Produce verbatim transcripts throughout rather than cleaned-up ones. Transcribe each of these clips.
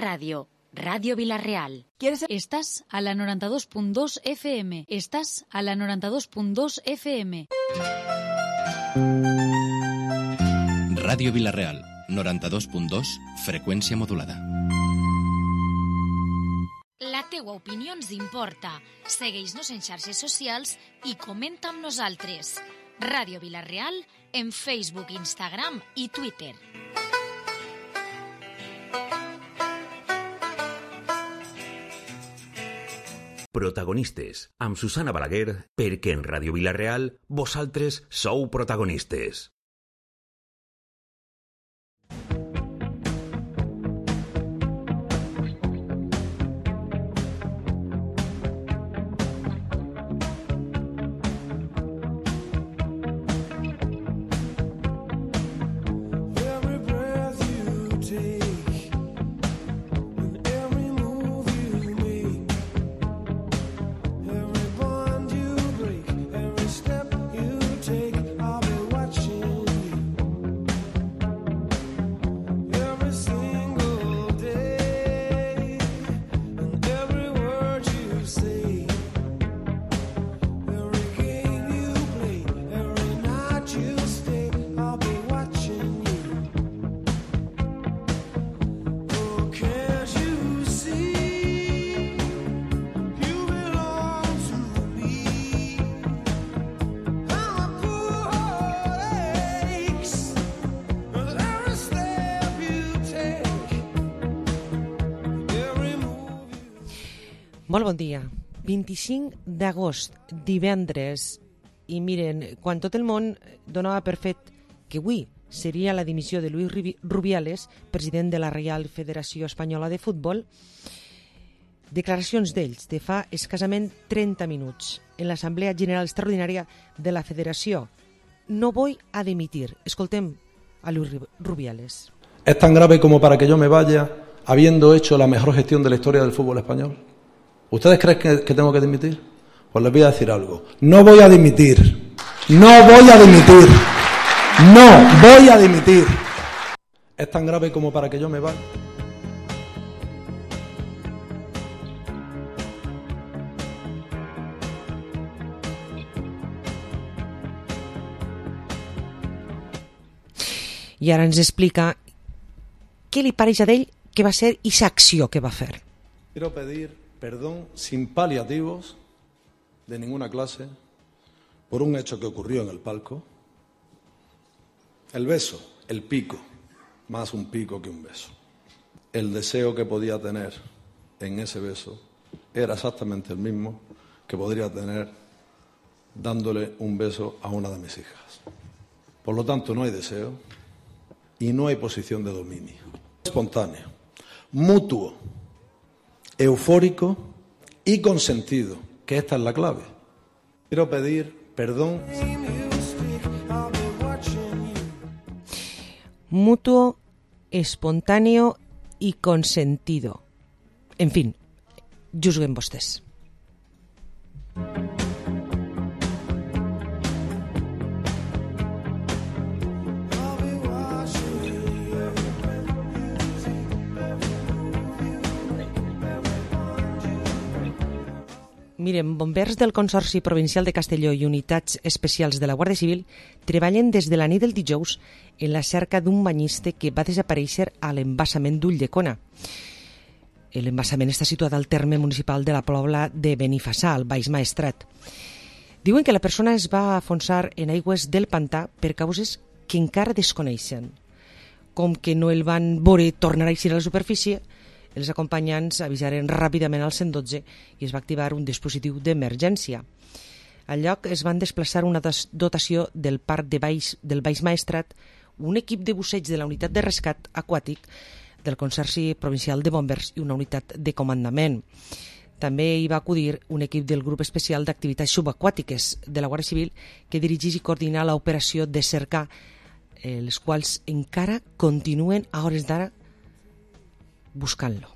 Radio, Radio Villarreal. ¿Quieres? Estás a la noranta-dos punt dos F M. Estás a la noranta-dos punt dos F M. Ràdio Villarreal, noranta-dos punt dos, freqüència modulada. La teua opinió ens importa. Segueix-nos en xarxes socials i comenta amb nosaltres. Ràdio Villarreal en Facebook, Instagram i Twitter. Protagonistes, amb Susana Balaguer, perquè en Ràdio Villarreal vosaltres sou protagonistes. Molt bon dia. vint-i-cinc d'agost, divendres, i miren, quan tot el món donava per fet que avui seria la dimissió de Luis Rubiales, president de la Reial Federació Espanyola de Futbol, declaracions d'ells de fa escassament trenta minuts en l'Assemblea General Extraordinària de la Federació. No voy a dimitir. Escoltem a Luis Rubiales. Es tan grave como para que yo me vaya habiendo hecho la mejor gestión de la historia del fútbol español. ¿Ustedes creen que, que tengo que dimitir? Pues les voy a decir algo. No voy a dimitir. No voy a dimitir. No voy a dimitir. Es tan grave como para que yo me vaya. I ara ens explica què li pareix a ell que va ser i l'acció que va fer. Quiero pedir perdón sin paliativos de ninguna clase por un hecho que ocurrió en el palco. El beso, el pico, más un pico que un beso. El deseo que podía tener en ese beso era exactamente el mismo que podría tener dándole un beso a una de mis hijas. Por lo tanto, no hay deseo y no hay posición de dominio. Espontáneo, mutuo, eufórico y consentido, que esta es la clave. Quiero pedir perdón. Mutuo, espontáneo y consentido. En fin, juzguen vostès. Miren, bombers del Consorci Provincial de Castelló i unitats especials de la Guàrdia Civil treballen des de la nit del dijous en la cerca d'un banyista que va desaparèixer a l'embassament d'Ulldecona. L'embassament està situat al terme municipal de la Pobla de Benifassà, al Baix Maestrat. Diuen que la persona es va afonsar en aigües del pantà per causes que encara desconeixen. Com que no el van veure tornar a eixir a la superfície, els acompanyants avisaren ràpidament al cent dotze i es va activar un dispositiu d'emergència. Al lloc es van desplaçar una dotació del parc de Baix, del Baix Maestrat, un equip de busseig de la unitat de rescat aquàtic del Consorci Provincial de Bombers i una unitat de comandament. També hi va acudir un equip del grup especial d'activitats subaquàtiques de la Guàrdia Civil que dirigeix i coordina l'operació de cercar, eh, les quals encara continuen a hores d'ara buscant-lo.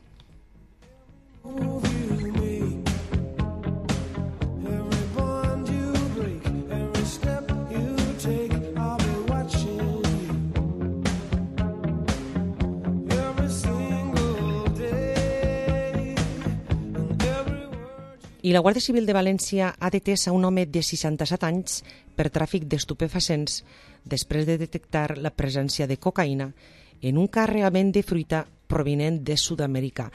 I la Guàrdia Civil de València ha detès a un home de seixanta-set anys per tràfic d'estupefacients després de detectar la presència de cocaïna en un carregament de fruita provinent de Sud-amèrica.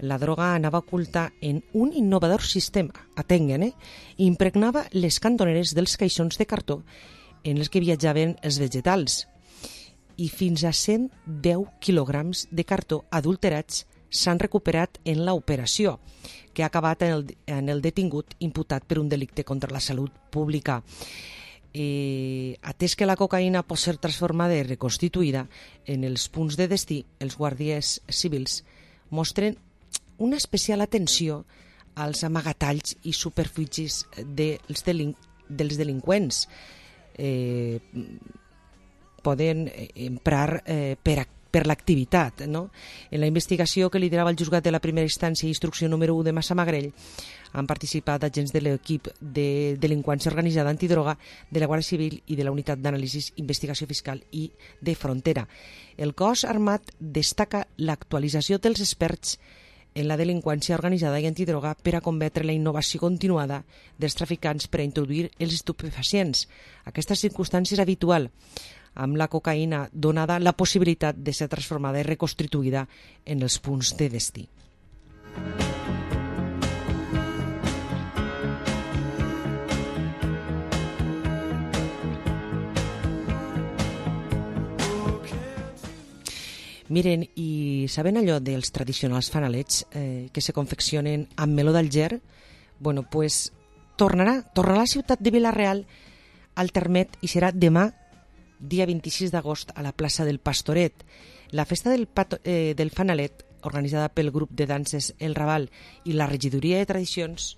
La droga anava oculta en un innovador sistema, atenguen, eh? Impregnava les cantoneres dels caixons de cartó en els que viatjaven els vegetals. I fins a cent deu quilograms de cartó adulterats s'han recuperat en l'operació, que ha acabat en el, en el detingut imputat per un delicte contra la salut pública. Eh, atès que la cocaïna pot ser transformada i reconstituïda en els punts de destí, els guàrdies civils mostren una especial atenció als amagatalls i superfícies dels, delin dels delinqüents. Eh, poden emprar eh, per, per l'activitat. No? En la investigació que liderava el juzgat de la primera instància i instrucció número u de Massamagrell han participat agents de l'equip de delinqüència organitzada antidroga de la Guàrdia Civil i de la Unitat d'Anàlisis, Investigació Fiscal i de Frontera. El cos armat destaca l'actualització dels experts en la delinqüència organitzada i antidroga per a combatre la innovació continuada dels traficants per a introduir els estupefacients. Aquesta circumstància és habitual. Amb la cocaïna donada la possibilitat de ser transformada i reconstituïda en els punts de destí. Miren, i saben allò dels tradicionals fanalets eh, que se confeccionen amb meló d'Alger? Bueno, pues tornarà, tornarà a la ciutat de Vila-real al Termet i serà demà, dia vint-i-sis d'agost, a la plaça del Pastoret. La festa del, pato, eh, del fanalet, organitzada pel grup de danses El Raval i la regidoria de tradicions,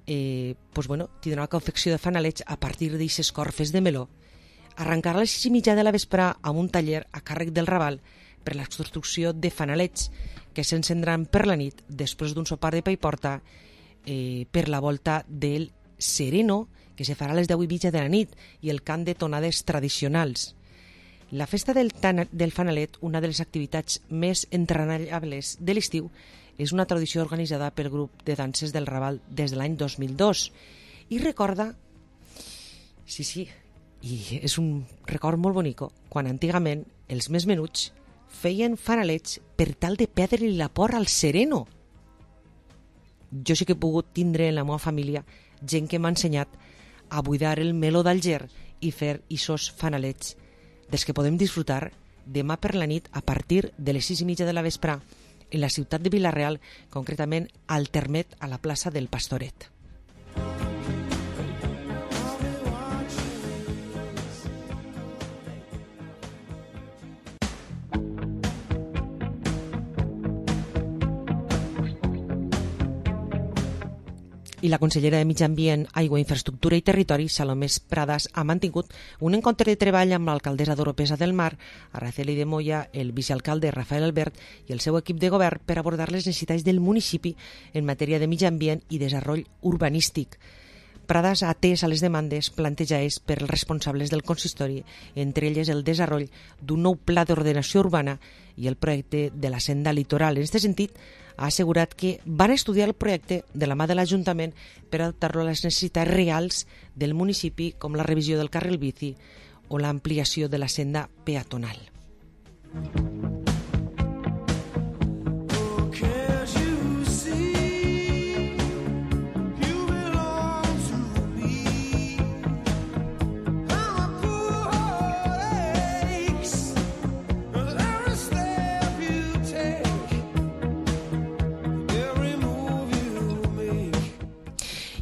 eh, pues bueno, tindrà una confecció de fanalets a partir d'aixes corfes de meló. Arrencarà a les sis i mitja de la vesprà amb un taller a càrrec del Raval per la construcció de fanalets que s'encendran per la nit després d'un sopar de pa i porta eh, per la volta del Sereno, que se farà a les deu i mitja de la nit, i el cant de tonades tradicionals. La festa del, del fanalet, una de les activitats més entrenallables de l'estiu, és una tradició organitzada pel grup de danses del Raval des de l'any dos mil dos. I recorda, sí, sí, i és un record molt bonic, quan antigament els més menuts feien fanalets per tal de perdre-li la por al Sereno. Jo sí que he pogut tindre en la meva família gent que m'ha ensenyat a buidar el meló d'Alger i fer ixos fanalets, dels que podem disfrutar demà per la nit a partir de les sis i mitja de la vesprà en la ciutat de Vila-real, concretament al Termet, a la plaça del Pastoret. I la consellera de Mig Ambient, Aigua, Infraestructura i Territori, Salomé Pradas, ha mantingut un encontre de treball amb l'alcaldessa d'Oropesa del Mar, Araceli de Moya, el vicealcalde Rafael Albert i el seu equip de govern per abordar les necessitats del municipi en matèria de mig ambient i desenvolupament urbanístic. Pradas ha atès a les demandes plantejades per els responsables del consistori, entre elles el desenvolupament d'un nou pla d'ordenació urbana i el projecte de la senda litoral. En aquest sentit, ha assegurat que van estudiar el projecte de la mà de l'Ajuntament per adaptar-lo a les necessitats reals del municipi, com la revisió del carril bici o l'ampliació de la senda peatonal.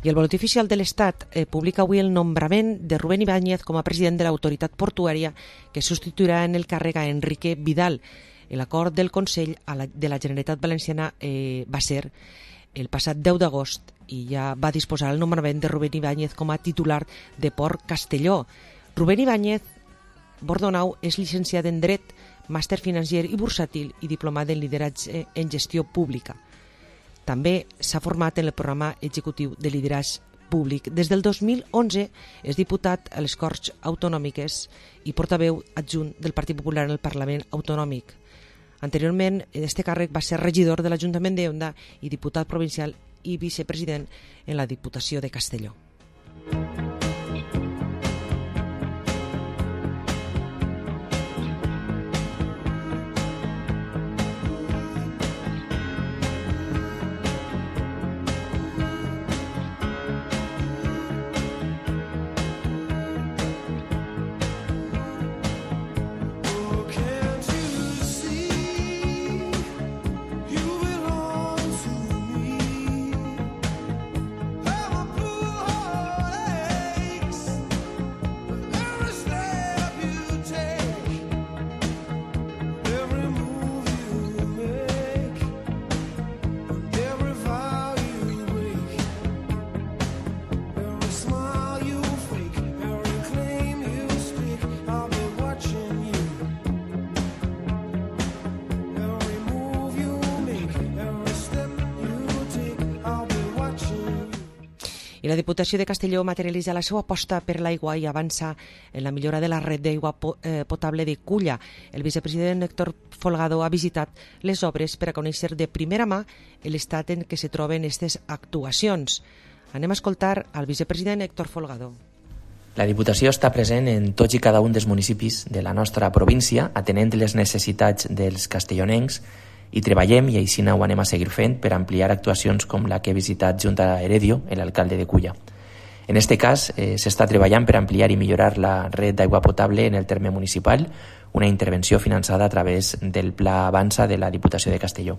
I el Boletí Oficial de l'Estat eh, publica avui el nombrament de Rubén Ibáñez com a president de l'autoritat portuària, que substituirà en el càrrec a Enrique Vidal. L'acord del Consell de la Generalitat Valenciana eh, va ser el passat deu d'agost i ja va disposar el nombrament de Rubén Ibáñez com a titular de Port Castelló. Rubén Ibáñez Bordonau és llicenciat en Dret, màster financer i bursàtil i diplomat en lideratge en gestió pública. També s'ha format en el programa executiu de lideratge públic. Des del dos mil onze és diputat a les Corts Autonòmiques i portaveu adjunt del Partit Popular en el Parlament Autonòmic. Anteriorment, este càrrec va ser regidor de l'Ajuntament de Onda i diputat provincial i vicepresident en la Diputació de Castelló. I la Diputació de Castelló materialitza la seva aposta per l'aigua i avança en la millora de la red d'aigua potable de Culla. El vicepresident Héctor Folgado ha visitat les obres per a conèixer de primera mà l'estat en què se troben aquestes actuacions. Anem a escoltar al vicepresident Héctor Folgado. La Diputació està present en tots i cada un dels municipis de la nostra província, atenent les necessitats dels castellonencs, i treballem, i així ho anem a seguir fent, per ampliar actuacions com la que he visitat junt a Heredio, l'alcalde de Culla. En aquest cas, eh, s'està treballant per ampliar i millorar la red d'aigua potable en el terme municipal, una intervenció finançada a través del Pla Avança de la Diputació de Castelló.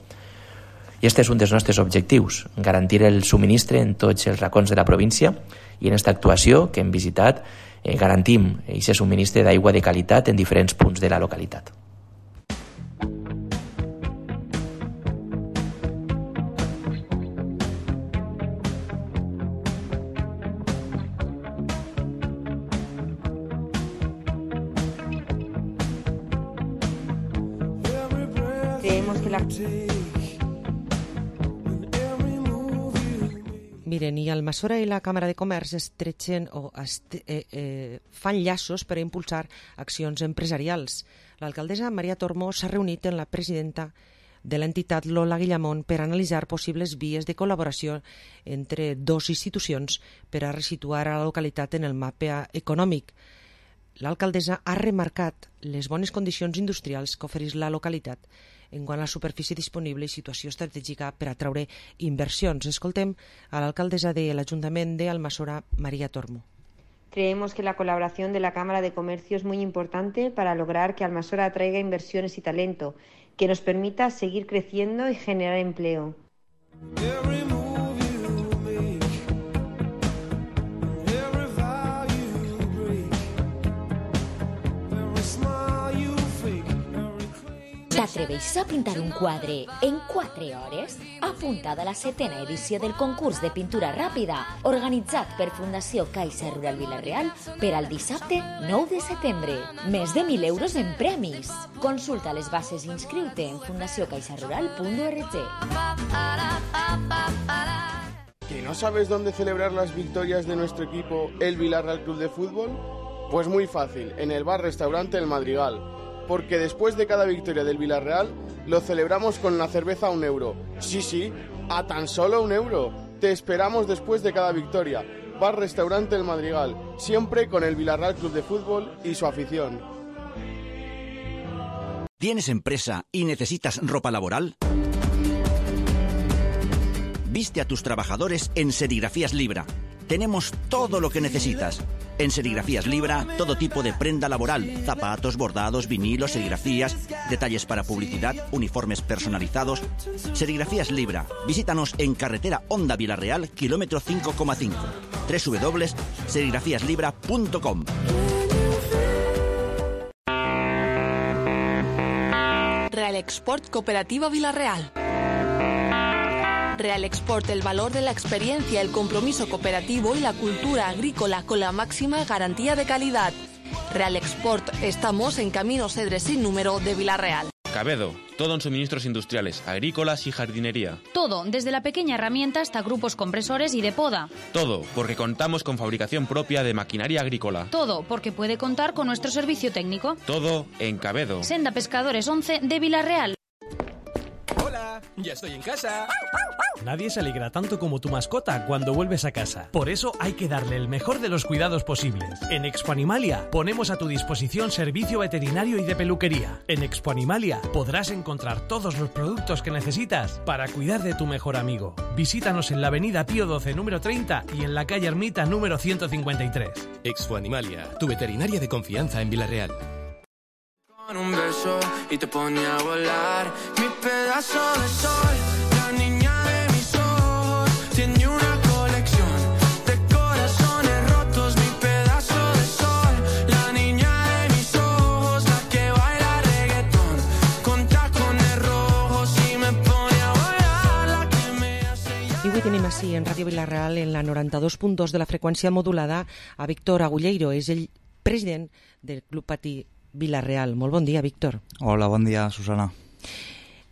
I aquest és un dels nostres objectius, garantir el subministre en tots els racons de la província, i en aquesta actuació que hem visitat eh, garantim aquest subministre d'aigua de qualitat en diferents punts de la localitat. Creemos que la... Miren, i Almassora i la Càmera de Comerç estretxen o est eh, eh, fan llaços per a impulsar accions empresarials. L'alcaldessa Maria Tormo s'ha reunit amb la presidenta de l'entitat Lola Guillamón per analitzar possibles vies de col·laboració entre dos institucions per a resituar a la localitat en el mapa econòmic. L'alcaldessa ha remarcat les bones condicions industrials que ofereix la localitat en quant a la superfície disponible i situació estratègica per atraure inversions. Escoltem a l'alcaldessa de l'Ajuntament de Almassora, María Tormo. Creemos que la colaboración de la Cámara de Comercio es muy importante para lograr que Almassora atraiga inversiones y talento, que nos permita seguir creciendo y generar empleo. T'atreveixes a pintar un quadre en quatre hores? Apuntada a la setena edició del concurs de pintura ràpida organitzat per Fundació Caixa Rural Vila-real per al dissabte nou de setembre. Més de mil euros en premis. Consulta les bases i inscriu-te en fundació caixa rural punt org. ¿Que no sabes dónde celebrar las victorias de nuestro equipo, el Villarreal Club de Fútbol? Pues muy fácil, en el bar-restaurante El Madrigal. Porque después de cada victoria del Villarreal, lo celebramos con una cerveza a un euro. Sí, sí, a tan solo un euro. Te esperamos después de cada victoria. Bar-restaurante El Madrigal, siempre con el Villarreal Club de Fútbol y su afición. ¿Tienes empresa y necesitas ropa laboral? Viste a tus trabajadores en Serigrafías Libra. Tenemos todo lo que necesitas. En Serigrafías Libra, todo tipo de prenda laboral, zapatos, bordados, vinilos, serigrafías, detalles para publicidad, uniformes personalizados. Serigrafías Libra. Visítanos en carretera Honda Villarreal, kilómetro cinco coma cinco. doble u doble u doble u punto serigrafías libra punto com. Real Export Cooperativa Villarreal. Real Export, el valor de la experiencia, el compromiso cooperativo y la cultura agrícola con la máxima garantía de calidad. Real Export, estamos en Camino Cedres sin número de Villarreal. Cabedo, todo en suministros industriales, agrícolas y jardinería. Todo, desde la pequeña herramienta hasta grupos compresores y de poda. Todo, porque contamos con fabricación propia de maquinaria agrícola. Todo, porque puede contar con nuestro servicio técnico. Todo en Cabedo. Senda Pescadores once de Villarreal. Ya estoy en casa. Nadie se alegra tanto como tu mascota cuando vuelves a casa. Por eso hay que darle el mejor de los cuidados posibles. En Expo Animalia ponemos a tu disposición servicio veterinario y de peluquería. En Expo Animalia podrás encontrar todos los productos que necesitas para cuidar de tu mejor amigo. Visítanos en la avenida Pío doce número treinta y en la calle Ermita número ciento cincuenta y tres. Expo Animalia, tu veterinaria de confianza en Villarreal. Con un beso y te pone a volar, mi pedazo de sol, la niña de mis ojos, tiene una colección de corazones rotos, mi pedazo de sol, la niña de mis ojos, la que baila reggaetón, con tacones rojos y me pone a volar, la que me hace I avui tenim així en Ràdio Vilareal, en la noranta-dos punt dos de la freqüència modulada, a Víctor Agulleiro, és el president del Club Patí Vilareal. Molt bon dia, Víctor. Hola, bon dia, Susana.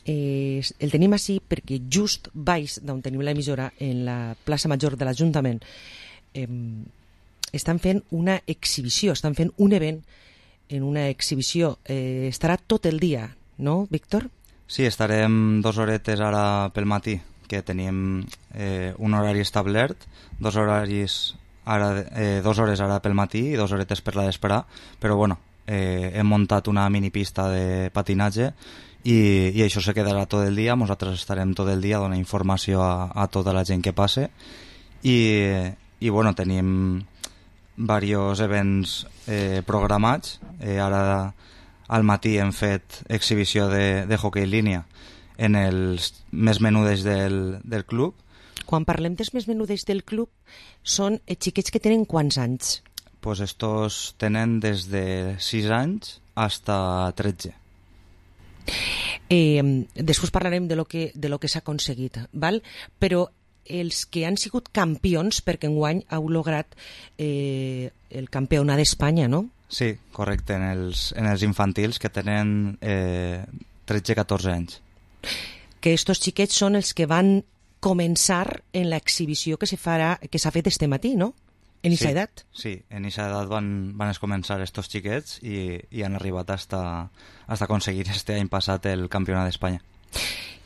Eh, el tenim així perquè just baix d'on tenim l'emissora, en la plaça Major de l'Ajuntament, eh, estan fent una exhibició, estan fent un event en una exhibició. Eh, estarà tot el dia, no, Víctor? Sí, estarem dos horetes ara pel matí, que tenim eh, un horari establert, dos horaris ara, eh, dos hores ara pel matí i dos horetes per la vesprà, però bueno, eh, hem muntat una minipista de patinatge i, i això se quedarà tot el dia. Nosaltres estarem tot el dia donant informació a, a tota la gent que passe i, i bueno, tenim diversos events eh, programats. Eh, ara al matí hem fet exhibició de, de hoquei línia en els més menudes del, del club. Quan parlem dels més menudes del club, són xiquets que tenen quants anys? Pues estos tenen des de sis anys hasta tretze. Eh, després parlarem de lo que, de lo que s'ha aconseguit, val? Però els que han sigut campions, perquè enguany heu lograt eh, el campionat d'Espanya, no? Sí, correcte, en els, en els infantils que tenen eh, tretze a catorze anys. Que estos xiquets són els que van començar en l'exhibició que se farà, que s'ha fet este matí, no? En aquesta sí, edat? Sí, en aquesta edat van, van començar estos xiquets i, i han arribat hasta, hasta aconseguir este any passat el campionat d'Espanya.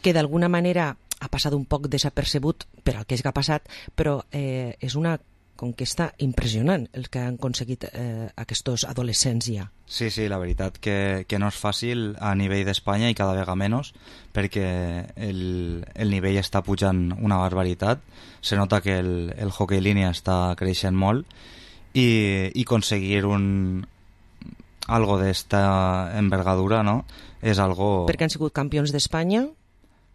Que d'alguna manera ha passat un poc desapercebut per al que és que ha passat, però eh, és una conquesta impressionant el que han aconseguit eh, aquests adolescents ja. Sí, sí, la veritat que, que no és fàcil a nivell d'Espanya i cada vegada menys, perquè el, el nivell està pujant una barbaritat, se nota que el, el hoquei línia està creixent molt i, i aconseguir un algo d'esta envergadura, no? És algo... Perquè han sigut campions d'Espanya?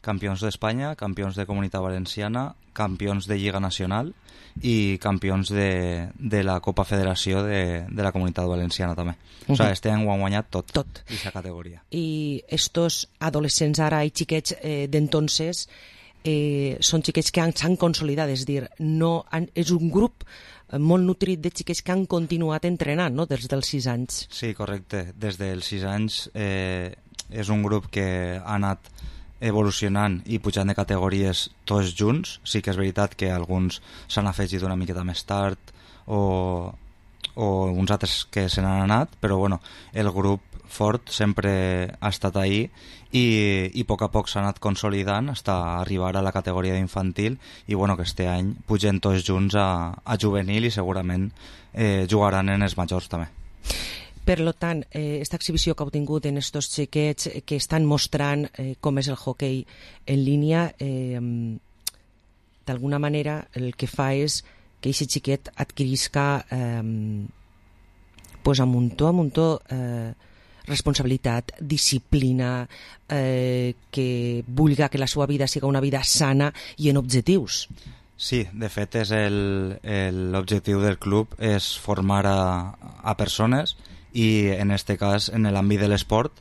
Campions d'Espanya, campions de Comunitat Valenciana, campions de Lliga Nacional i campions de, de la Copa Federació de, de la Comunitat Valenciana també. Uh -huh. O sigui, este any ho han guanyat tot, tot. Aquesta categoria. I estos adolescents ara i xiquets eh, d'entonces eh, són xiquets que s'han consolidat, és dir, no han, és un grup molt nutrit de xiquets que han continuat entrenant, no?, des dels sis anys. Sí, correcte. Des dels sis anys eh, és un grup que ha anat evolucionant i pujant de categories tots junts. Sí que és veritat que alguns s'han afegit una miqueta més tard o, o uns altres que se n'han anat, però bueno, el grup fort sempre ha estat ahí i, i a poc a poc s'ha anat consolidant fins a arribar a la categoria d'infantil i bueno, que este any pugen tots junts a, a juvenil i segurament eh, jugaran en els majors també. Per tant, eh, esta exhibició que heu tingut en estos xiquets eh, que estan mostrant eh, com és el hoquei en línia, eh, d'alguna manera el que fa és que aquest xiquet adquirisca eh, pues a muntó, a muntó eh, responsabilitat, disciplina, eh, que vulga que la seva vida siga una vida sana i en objectius. Sí, de fet és l'objectiu del club és formar a, a persones i en este cas en l'àmbit de l'esport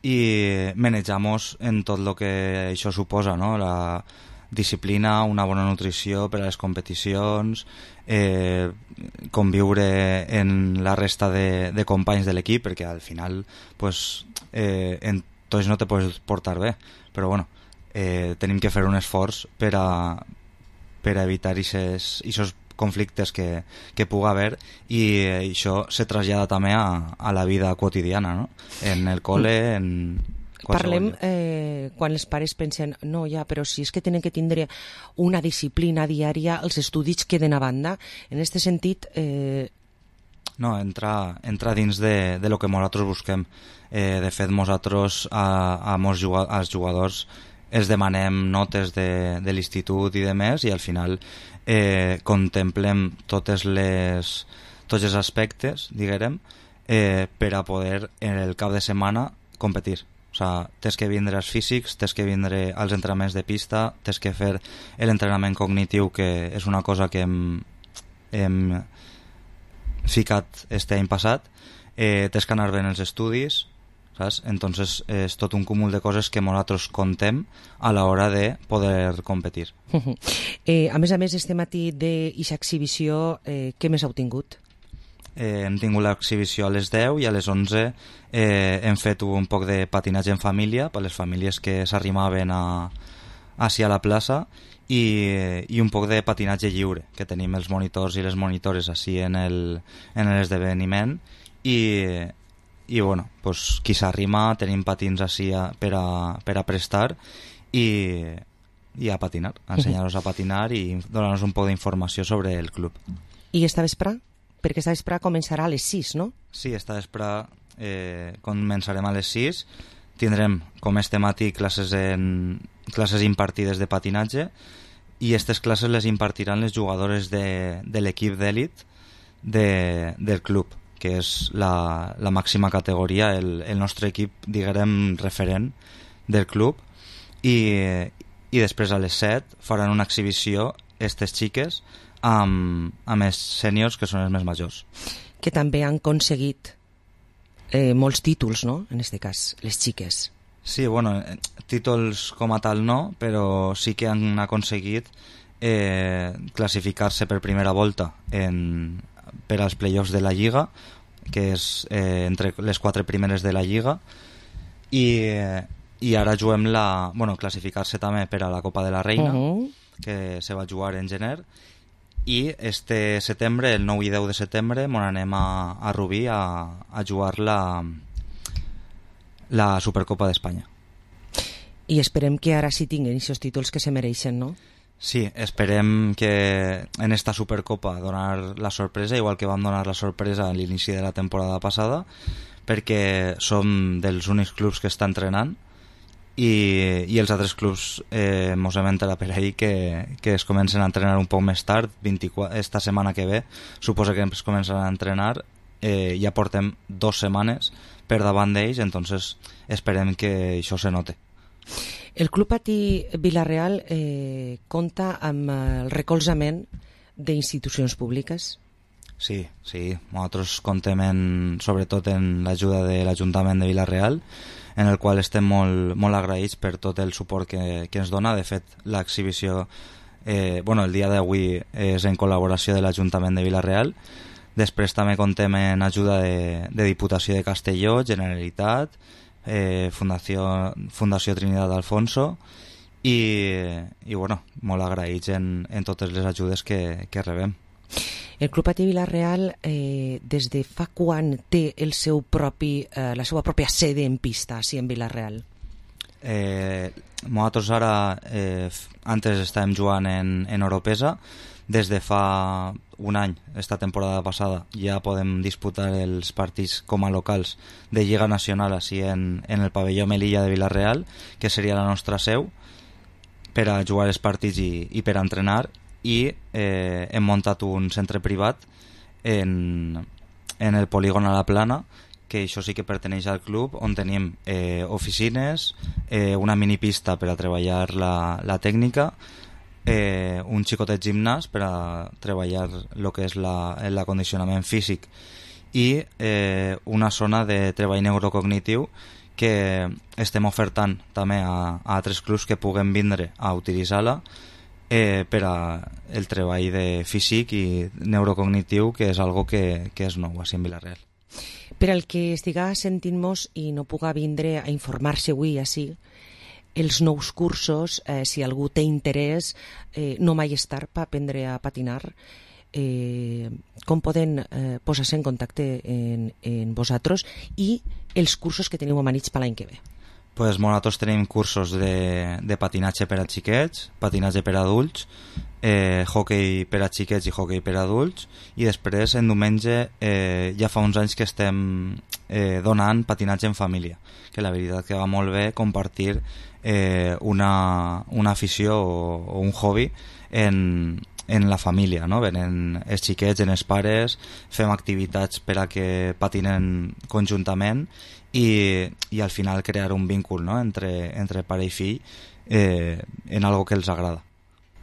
i manejamos en tot el que això suposa, no? La disciplina, una bona nutrició per a les competicions, eh, conviure en la resta de, de companys de l'equip, perquè al final pues, eh, en tots no te pots portar bé, però bueno, eh, tenim que fer un esforç per a, per a evitar aquests conflictes que, que pugui haver i això se trasllada també a, a la vida quotidiana, no? En el col·le, en... Parlem eh, quan els pares pensen no, ja, però si és que tenen que tindre una disciplina diària, els estudis queden a banda. En aquest sentit... Eh... No, entra, entra dins de, de lo que nosaltres busquem. Eh, de fet, nosaltres a, a mos juga, als jugadors els demanem notes de, de l'institut i de més, i al final eh, contemplem totes les, tots els aspectes, diguem, eh, per a poder en el cap de setmana competir. O sea, tens que vindre als físics, tens que vindre als entrenaments de pista, tens que fer l'entrenament cognitiu, que és una cosa que hem, hem ficat este any passat, eh, tens que anar bé en els estudis, saps? Entonces és tot un cúmul de coses que nosaltres contem a l'hora de poder competir. eh, a més a més, este matí d'aquesta exhibició, eh, què més heu tingut? Eh, hem tingut l'exhibició a les deu i a les onze eh, hem fet un poc de patinatge en família per les famílies que s'arrimaven a, a la plaça, i, i un poc de patinatge lliure, que tenim els monitors i les monitores així en el, en l'esdeveniment, i, i bueno, pues, qui s'arrima tenim patins així a, per, a, per a prestar i, i a patinar, a ensenyar-los a patinar i donar-nos un poc d'informació sobre el club. I esta vespre? Perquè esta vespre començarà a les sis, no? Sí, esta vespre eh, començarem a les sis. Tindrem, com este matí, classes, en, classes impartides de patinatge, i aquestes classes les impartiran les jugadores de, de l'equip d'èlit de, del club, que és la, la màxima categoria, el, el nostre equip, diguem, referent del club, i, i després a les set faran una exhibició aquestes xiques amb, amb els sèniors, que són els més majors. Que també han aconseguit eh, molts títols, no?, en aquest cas, les xiques. Sí, bueno, títols com a tal no, però sí que han aconseguit eh, classificar-se per primera volta en, per als play-offs de la Lliga, que és eh, entre les quatre primeres de la Lliga, i, eh, i ara juguem la... Bueno, classificar-se també per a la Copa de la Reina, uh-huh. que se va jugar en gener, i este setembre, el nou i deu de setembre, mon anem a, a Rubí a, a jugar la, la Supercopa d'Espanya. I esperem que ara sí tinguin aquests títols que se mereixen, no? Sí, esperem que en esta Supercopa donar la sorpresa, igual que vam donar la sorpresa a l'inici de la temporada passada, perquè som dels únics clubs que està entrenant, i, i els altres clubs eh, mos hem enterat per ahir que, que es comencen a entrenar un poc més tard, vint-i-quatre, esta setmana que ve suposa que es comencen a entrenar, eh, ja portem dues setmanes per davant d'ells, entonces esperem que això se note. El Club Patí Vila-real eh, compta amb el recolzament d'institucions públiques? Sí, sí, nosaltres contem en, sobretot en l'ajuda de l'Ajuntament de Vila-real, en el qual estem molt, molt agraïts per tot el suport que, que ens dona. De fet, l'exhibició, eh, bueno, el dia d'avui és en col·laboració de l'Ajuntament de Vila-real. Després també contem en ajuda de, de Diputació de Castelló, Generalitat, eh, Fundació, Fundació Trinitat Alfonso, i, i bueno, molt agraïts en, en totes les ajudes que, que rebem. El Club Patí Vila-real eh, des de fa quan té el seu propi, eh, la seva pròpia sede en pista, així en Vila-real? Eh, nosaltres ara, eh, antes estàvem jugant en, en Oropesa, des de fa un any, esta temporada passada, ja podem disputar els partits com a locals de Lliga Nacional així en, en el pavelló Melilla de Vila-real, que seria la nostra seu, per a jugar els partits i, i per a entrenar, i eh, hem muntat un centre privat en, en el polígon a la Plana, que això sí que perteneix al club, on tenim eh, oficines, eh, una minipista per a treballar la, la tècnica, eh, un xicotet gimnàs per a treballar el que és l'acondicionament físic, i eh, una zona de treball neurocognitiu que estem ofertant també a, a altres clubs que puguen vindre a utilitzar-la, Eh, per a el treball de físic i neurocognitiu, que és algo que, que és nou així en Vila-real. Per al que estiga sentint-nos i no puga vindre a informar-se avui així, els nous cursos, eh, si algú té interès, eh, no mai és tard per aprendre a patinar, eh, com poden eh, posar-se en contacte en, en vosaltres, i els cursos que teniu amanits per l'any que ve? Pues nosaltres tenim cursos de, de patinatge per a xiquets, patinatge per a adults, eh, hoquei per a xiquets i hoquei per a adults, i després en diumenge eh, ja fa uns anys que estem eh, donant patinatge en família, que la veritat que va molt bé compartir eh, una, una afició o, o un hobby en, en la família, no? Venen els xiquets, en els pares, fem activitats per a que patinen conjuntament i, i al final crear un vincul, no? entre, entre pare i fill eh, en algo que els agrada.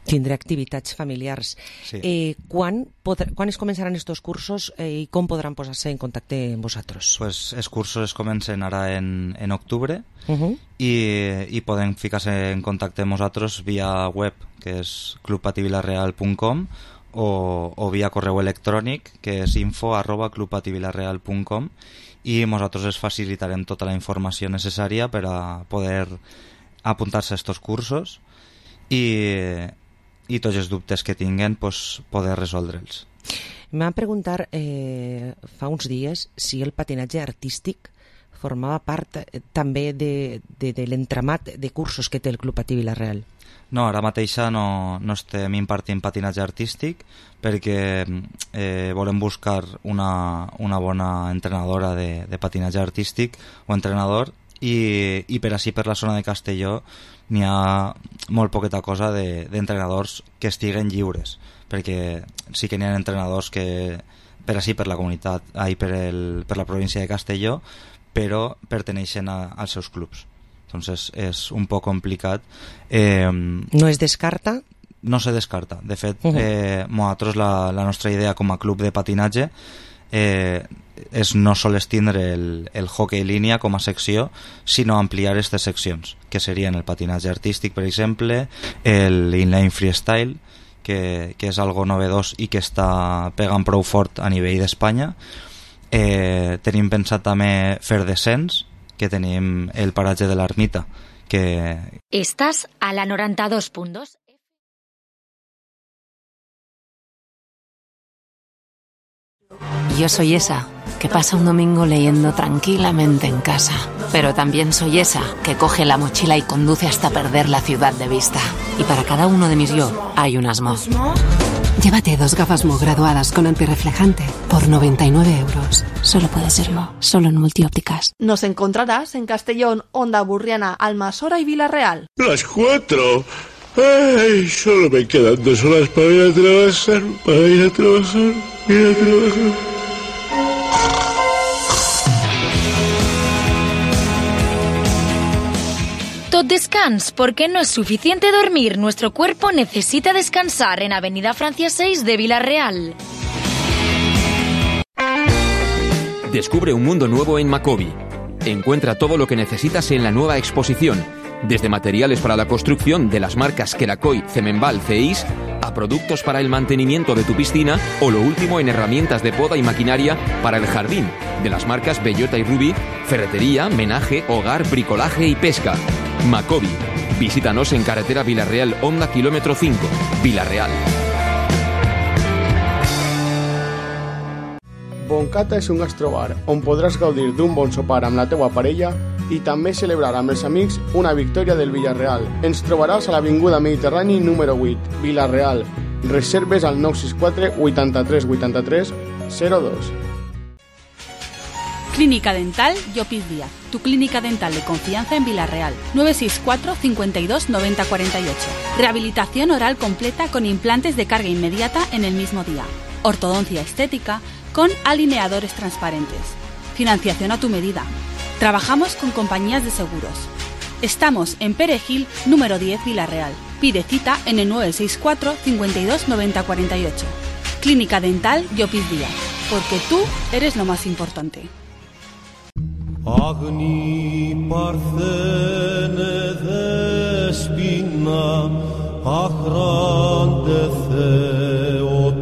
Tindré activitats familiars. Sí. Eh, quan, podrà, quan es començaran estos cursos eh, i com podran posar-se en contacte amb vosaltres? Pues els cursos es comencen ara en, en octubre uh -huh. i, i poden ficar-se en contacte amb nosaltres via web, que és club pati vilareal punt com, o, o via correu electrònic, que és info arroba club pati vilareal punt com, i nosaltres es facilitarem tota la informació necessària per a poder apuntar-se a estos cursos i, i tots els dubtes que tinguen pues, poder resoldre'ls. Em van preguntar eh, fa uns dies si el patinatge artístic formava part eh, també de, de, de l'entramat de cursos que té el Club Patí Vila-real. No, ara mateixa no, no estem impartint patinatge artístic perquè eh, volem buscar una, una bona entrenadora de, de patinatge artístic o entrenador i, i per així per la zona de Castelló n'hi ha molt poqueta cosa d'entrenadors de, que estiguen lliures, perquè sí que n'hi ha entrenadors que per així per la comunitat, ai, per, el, per la província de Castelló, però perteneixen a, als seus clubs. Entonces es un poco complicat. Eh, ¿No es descarta? No se descarta. De fet, uh -huh. eh, nosaltres la, la nostra idea com a club de patinatge eh, és no sols tindre el, el hockey línia com a secció, sinó ampliar aquestes seccions, que serien el patinatge artístic, per exemple, el inline freestyle, que, que és algo novedós i que està pegant prou fort a nivell d'Espanya. Eh, tenim pensat també fer descens, que tenim el paratge de l'Ermita, que... Estàs a la noranta-dos punt dos. Yo soy esa que pasa un domingo leyendo tranquilamente en casa, pero también soy esa que coge la mochila y conduce hasta perder la ciudad de vista. Y para cada uno de mis yo hay un Asmo. Llévate dos gafas Mo graduadas con antirreflejante por noventa y nueve euros. Solo puede ser Mo, solo en Multiópticas. Nos encontrarás en Castellón, Onda Burriana, Almasora y Vila-real. Las cuatro. Ay, solo me quedan dos horas para ir a trabajar, para ir a trabajar, ir a trabajar. Tot descans, porque no es suficiente dormir. Nuestro cuerpo necesita descansar en Avenida Francia seis de Vila-real. Descubre un mundo nuevo en Macobi. Encuentra todo lo que necesitas en la nueva exposición, desde materiales para la construcción de las marcas Kerakoy, Cemenbal, Ceis, a productos para el mantenimiento de tu piscina o lo último en herramientas de poda y maquinaria para el jardín, de las marcas Bellota y Ruby, ferretería, menaje, hogar, bricolaje y pesca. Macobi. Visítanos en carretera Vila-real Honda kilómetro cinco, Vila-real. Boncata és un gastrobar on podràs gaudir d'un bon sopar amb la teua parella i també celebrar amb els amics una victòria del Villarreal. Ens trobaràs a l'Avinguda Mediterrani número vuit, Vila-real. Reserves al nou sis quatre vuitanta-tres vuitanta-tres zero dos. Clínica Dental Llopis Díaz, tu clínica dental de confianza en Vila-real. nueve seis cuatro cincuenta y dos noventa cuarenta y ocho. Rehabilitación oral completa con implantes de carga inmediata en el mismo día. Ortodoncia estética con alineadores transparentes. Financiación a tu medida. Trabajamos con compañías de seguros. Estamos en Perejil, número diez, Vila-real. Pide cita en el nueve seis cuatro cincuenta y dos noventa cuarenta y ocho. Clínica Dental Llopis Díaz, porque tú eres lo más importante. Agni parthene despina, ahrande theotoke.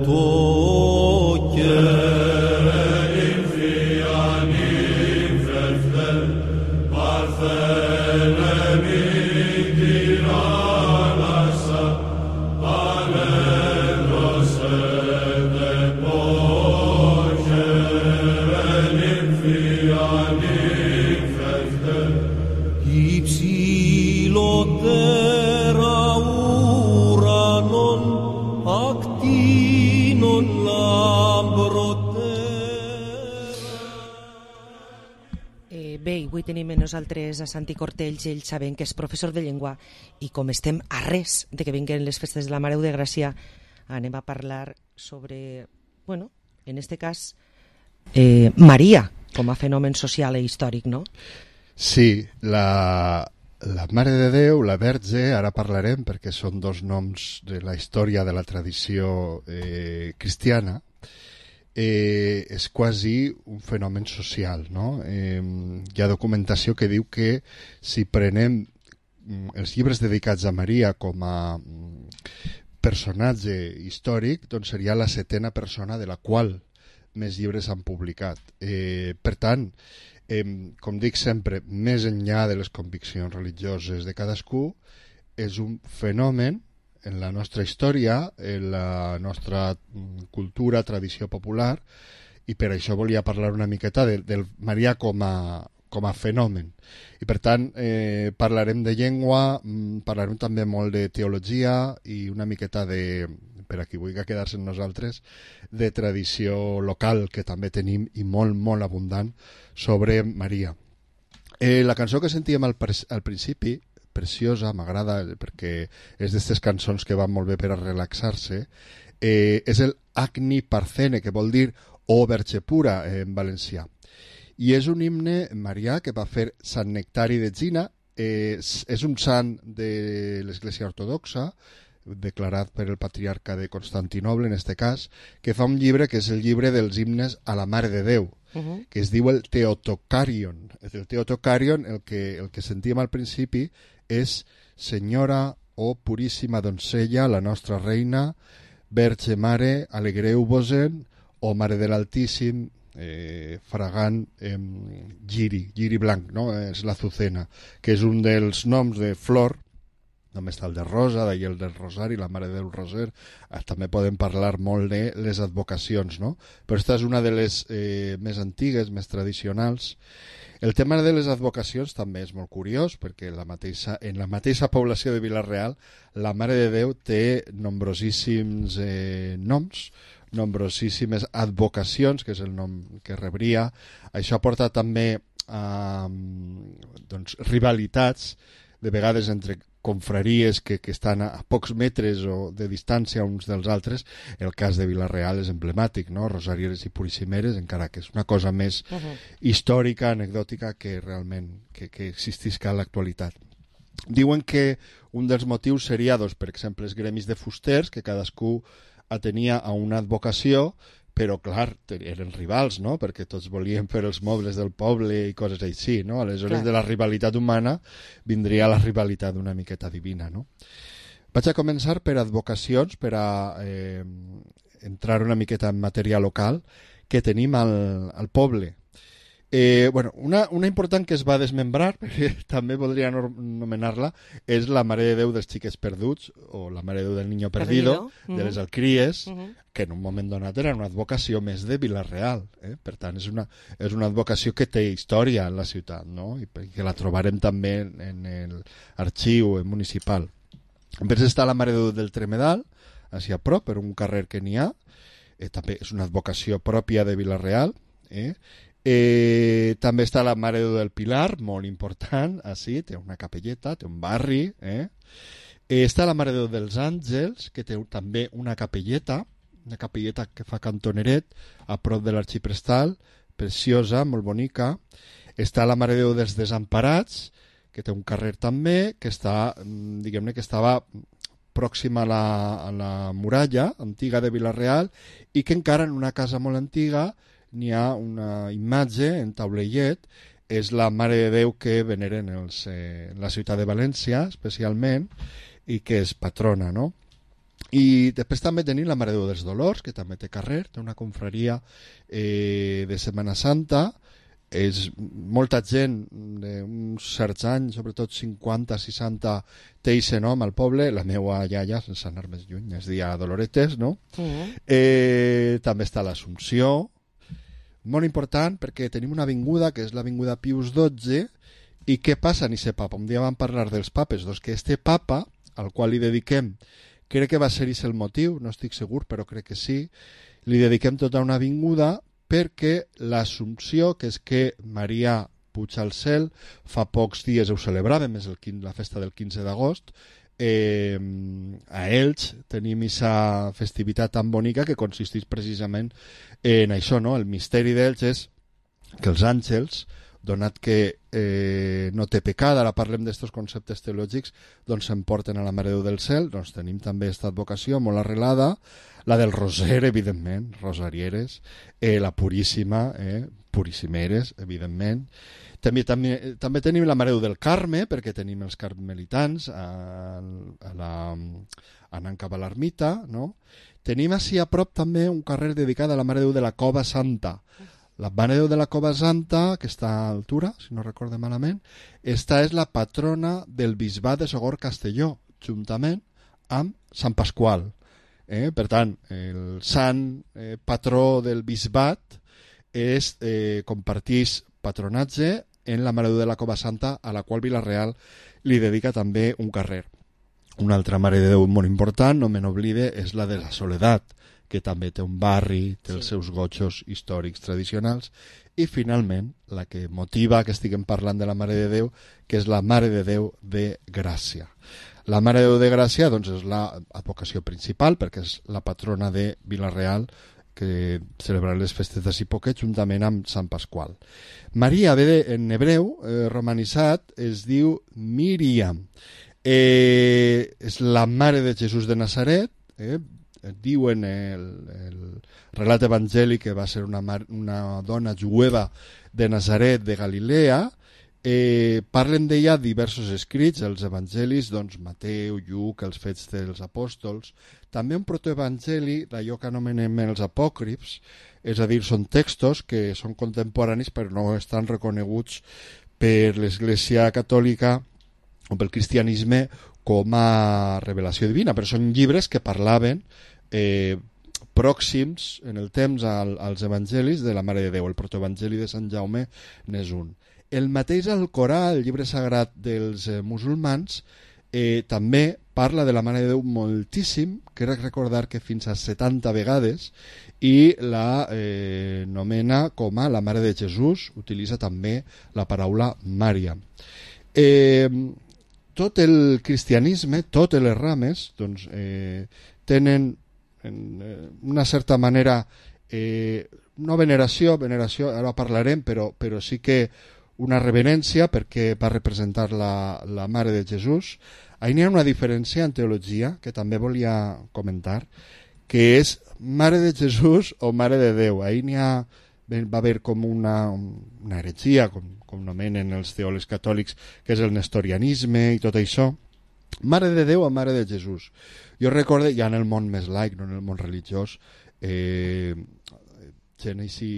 tenim a nosaltres a Santi Cortells, ell sabem que és professor de llengua i com estem a res de que vinguen les festes de la Mare de Gràcia, anem a parlar sobre, bueno, en este cas, eh, Maria, com a fenomen social i històric, no? Sí, la, la Mare de Déu, la Verge, ara parlarem perquè són dos noms de la història de la tradició eh, cristiana, eh, és quasi un fenomen social, no? Eh, hi ha documentació que diu que si prenem els llibres dedicats a Maria com a personatge històric, doncs seria la setena persona de la qual més llibres han publicat. Eh, per tant, eh, com dic sempre, més enllà de les conviccions religioses de cadascú, és un fenomen en la nostra història, en la nostra cultura, tradició popular, i per això volia parlar una miqueta del de Maria com a, com a fenomen. I per tant, eh, parlarem de llengua, parlarem també molt de teologia i una miqueta de, per a qui vulgui quedar-se amb nosaltres, de tradició local que també tenim i molt, molt abundant sobre Maria. Eh, la cançó que sentíem al, al principi, preciosa, m'agrada perquè és d'aquestes cançons que van molt bé per a relaxar-se, eh, és el Agni Parthene, que vol dir o Verge Pura en valencià. I és un himne marià que va fer Sant Nectari d'Egina, eh, és un sant de l'Església Ortodoxa, declarat per el patriarca de Constantinoble, en este cas, que fa un llibre que és el llibre dels himnes a la Mare de Déu, uh-huh. que es diu el Theotokarion. El Theotokarion, el que, el que sentíem al principi, és Senyora, o puríssima doncella, la nostra reina, Verge Mare, alegreu-vos-en, o Mare de l'Altíssim, eh, fragant eh, giri, giri blanc, no? És l'azucena, que és un dels noms de flor. Només està el de rosa, d'ahir el del rosari, la Mare del Roser. Ah, també podem parlar molt de les advocacions, no? Però aquesta és una de les eh, més antigues, més tradicionals. El tema de les advocacions també és molt curiós, perquè la mateixa, en la mateixa població de Vila-real la Mare de Déu té nombrosíssims eh, noms, nombrosíssimes advocacions, que és el nom que rebria. Això porta també a doncs, rivalitats, de vegades entre confraries que, que estan a, a pocs metres o de distància uns dels altres. El cas de Vila-real és emblemàtic, no? Rosarieres i Puríssimeres, encara que és una cosa més uh-huh. històrica, anecdòtica, que realment que, que existisca a l'actualitat. Diuen que un dels motius seria, doncs, per exemple, els gremis de fusters, que cadascú atenia a una advocació, però, clar, eren rivals, no? Perquè tots volien fer els mobles del poble i coses així, no? Aleshores, clar, de la rivalitat humana vindria la rivalitat una miqueta divina, no? Vaig a començar per advocacions, per a eh, entrar una miqueta en matèria local que tenim al, al poble. Eh, bueno, una, una important que es va desmembrar, perquè també voldria anomenar-la, és la Mare de Déu dels Xiquets Perduts, o la Mare de Déu del Niño Perdido, Perdido. de les Alcries, uh -huh. que en un moment donat era una advocació més de Vila-real. Eh? Per tant, és una, és una advocació que té història en la ciutat, no? I que la trobarem també en l'arxiu municipal. Després està la Mare de Déu del Tremedal, així a prop, per un carrer que n'hi ha. Eh, també és una advocació pròpia de Vila-real, eh? Eh, també està la Mare de Déu del Pilar, molt important, així, té una capelleta, té un barri, eh? Eh, està la Mare de Déu dels Àngels, que té també una capelleta, una capelleta que fa cantoneret a prop de l'arxiprestal, preciosa, molt bonica. Està la Mare de Déu dels Desemparats, que té un carrer també, que està, diguem-ne que estava pròxima a la, a la muralla antiga de Vila-real, i que encara en una casa molt antiga n'hi ha una imatge en taulellet, és la Mare de Déu que veneren els, eh, la ciutat de València, especialment, i que és patrona, no? I després també tenim la Mare de Déu dels Dolors, que també té carrer, té una confraria eh, de Setmana Santa. És molta gent d'uns certs anys, sobretot cinquanta, seixanta, té aquest nom al poble. La meua iaia, sense anar més lluny, es deia Doloretes, no? Uh-huh. Eh, també està l'Assumpció, molt important, perquè tenim una avinguda que és l'avinguda Pius dotze. I què passa en aquest papa? Un dia vam parlar dels papes, doncs que este papa, al qual li dediquem, crec que va ser aquest el motiu, no estic segur, però crec que sí, li dediquem tota una avinguda perquè l'Assumpció, que és que Maria puja al cel. Fa pocs dies ho celebràvem, és el, la festa del quinze d'agost. Eh, a Elx tenim aquesta festivitat tan bonica que consisteix precisament en això, no? El misteri d'Elx és que els àngels, donat que eh, no té pecat, ara parlem d'estos conceptes teològics, doncs s'emporten a la Mare de Déu del Cel. Doncs tenim també aquesta advocació molt arrelada, la del Roser, evidentment, rosarieres, eh, la Puríssima, eh, puríssimeres, evidentment. També, també, també tenim la Mare de Déu del Carme, perquè tenim els carmelitans a, a la, anant cap a l'ermita, no? Tenim així a prop també un carrer dedicat a la Mare de Déu de la Cova Santa. La Mare de Déu de la Cova Santa, que està a altura, si no recorde malament, esta és la patrona del bisbat de Sogorb-Castelló, juntament amb Sant Pasqual. Eh? Per tant, el sant eh, patró del bisbat és, eh, compartís patronatge en la Mare de Déu de la Cova Santa, a la qual Vila-real li dedica també un carrer. Una altra Mare de Déu molt important, no me n'oblide, és la de la Soledat, que també té un barri, té els seus gotxos històrics tradicionals, i finalment la que motiva que estiguem parlant de la Mare de Déu, que és la Mare de Déu de Gràcia. La Mare de Déu de Gràcia doncs, és l'advocació principal, perquè és la patrona de Vila-real, que celebra les festes de Sipoquet juntament amb Sant Pasqual. Maria, ve en hebreu, eh, romanitzat, es diu Míriam. Eh, és la Mare de Jesús de Nazaret, eh, diuen el, el relat evangèlic que va ser una, mar, una dona jueva de Nazaret de Galilea. Eh, parlen d'ella diversos escrits, els evangelis, doncs Mateu, Lluc, els Fets dels Apòstols, també un protoevangeli d'allò que anomenem els apòcrifs, és a dir, són textos que són contemporanis però no estan reconeguts per l'Església Catòlica o pel cristianisme com a revelació divina, però són llibres que parlaven eh, pròxims en el temps al, als evangelis de la Mare de Déu. El protoevangeli de Sant Jaume n'és un. El mateix Alcorà, el llibre sagrat dels eh, musulmans, eh, també parla de la Mare de Déu moltíssim, crec recordar que fins a setanta vegades, i la eh, nomena com a la Mare de Jesús, utilitza també la paraula Mària. Eh, tot el cristianisme, totes les rames, doncs, eh, tenen en eh, una certa manera eh, no veneració, veneració ara parlarem, però, però sí que una reverència perquè va representar la, la Mare de Jesús. Ahí n'hi ha una diferència en teologia que també volia comentar, que és Mare de Jesús o Mare de Déu. Ahí n'hi ha, va haver com una, una heretgia, com, com nomenen els teòlegs catòlics, que és el nestorianisme i tot això. Mare de Déu o Mare de Jesús. Jo recordo, ja en el món més laic, no en el món religiós, eh, gent així,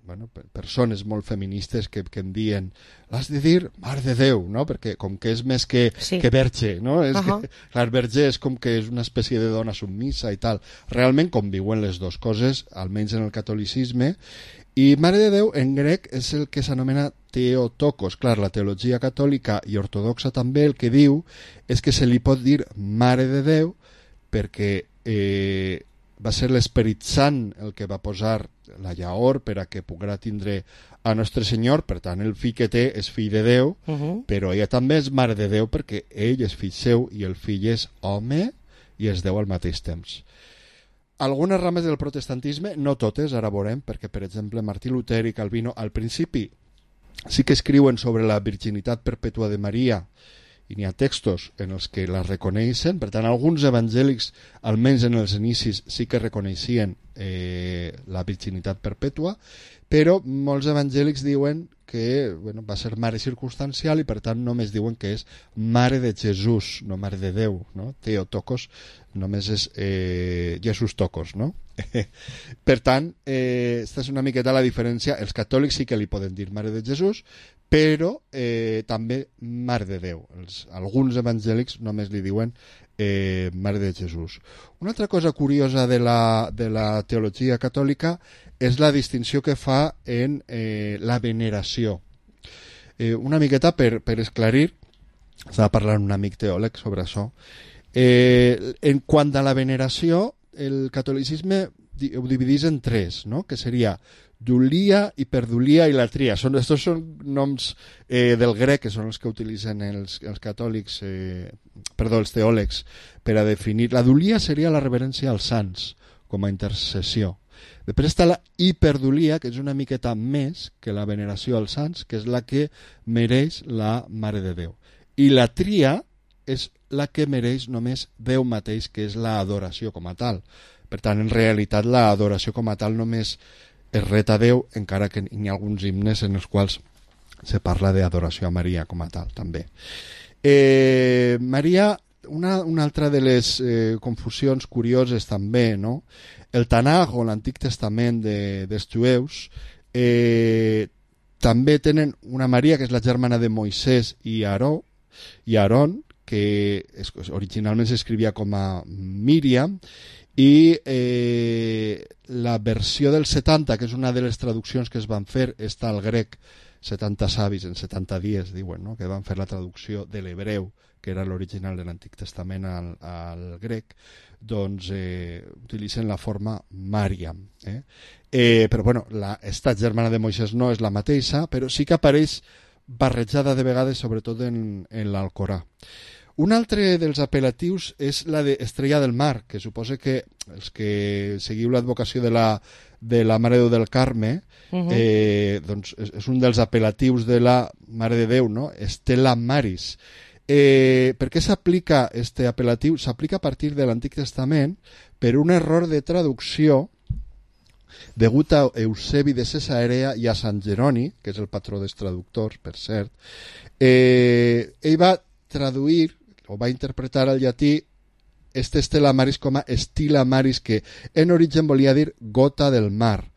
bueno, persones molt feministes que, que em diuen l'has de dir Mare de Déu, no? Perquè com que és més que, sí. que verge, no? És uh -huh. que, clar, verge és com que és una espècie de dona submissa i tal. Realment conviuen les dues coses, almenys en el catolicisme. I Mare de Déu en grec és el que s'anomena Theotokos. Clar, la teologia catòlica i ortodoxa també el que diu és que se li pot dir Mare de Déu perquè eh, va ser l'Esperit Sant el que va posar la llaor per a que poguera tindre a Nostre Senyor, per tant el fill que té és fill de Déu, uh -huh. però ella també és Mare de Déu perquè ell és fill seu i el fill és home i és Déu al mateix temps. Algunes rames del protestantisme, no totes, ara veurem, perquè per exemple Martí Luter i Calvino al principi sí que escriuen sobre la virginitat perpètua de Maria i n'hi ha textos en els que la reconeixen. Per tant, alguns evangèlics, almenys en els inicis, sí que reconeixien eh, la virginitat perpètua, però molts evangèlics diuen que bueno, va ser mare circumstancial i per tant només diuen que és Mare de Jesús, no Mare de Déu, no? Theotokos només és eh, Jesús Tocos, no? Per tant, eh, esta és una miqueta la diferència. Els catòlics sí que li poden dir Mare de Jesús, però eh, també Mare de Déu. Els, alguns evangèlics només li diuen eh, Mare de Jesús. Una altra cosa curiosa de la, de la teologia catòlica és la distinció que fa en eh, la veneració. Eh, una miqueta per, per esclarir, estava parlant un amic teòleg sobre això. Eh, en quant a la veneració, el catolicisme ho dividís en tres, no? Que seria Dulia, Hiperdulia i Latria. Són, estos són noms eh, del grec, que són els que utilitzen els, els catòlics, eh, perdó, els teòlegs, per a definir. La Dulia seria la reverència als sants, com a intercessió. Després està la Hiperdulia, que és una miqueta més que la veneració als sants, que és la que mereix la Mare de Déu. I la Tria és la que mereix només Déu mateix, que és l'adoració com a tal. Per tant, en realitat, l'adoració com a tal només es ret a Déu, encara que hi ha alguns himnes en els quals se parla d'adoració a Maria com a tal, també. Eh, Maria, una, una altra de les eh, confusions curioses també, no? El Tanakh, o l'Antic Testament de, dels jueus, eh, també tenen una Maria que és la germana de Moisès i Aaró, i Aaron, que es, originalment s'escrivia com a Míriam, i eh, la versió del setanta, que és una de les traduccions que es van fer, està al grec, setanta savis en setanta dies, diuen, no? Que van fer la traducció de l'hebreu, que era l'original de l'Antic Testament al, al grec, doncs eh, utilitzen la forma Màriam. Eh? Eh, però bueno, la, esta germana de Moisès no és la mateixa, però sí que apareix barrejada de vegades, sobretot en, en l'Alcorà. Un altre dels apel·latius és la d'Estrella del Mar, que suposa que els que seguiu l'advocació de la, de la Mare de Déu del Carme, uh-huh. eh, doncs és, és un dels apel·latius de la Mare de Déu, no? Stella Maris. Eh, per què s'aplica este apel·latiu? S'aplica a partir de l'Antic Testament per un error de traducció degut a Eusebi de Cesarea i a Sant Jeroni, que és el patró dels traductors, per cert. Eh, ell va traduir o va interpretar al llatí este Stella Maris com a Stilla Maris, que en origen volia dir gota del mar,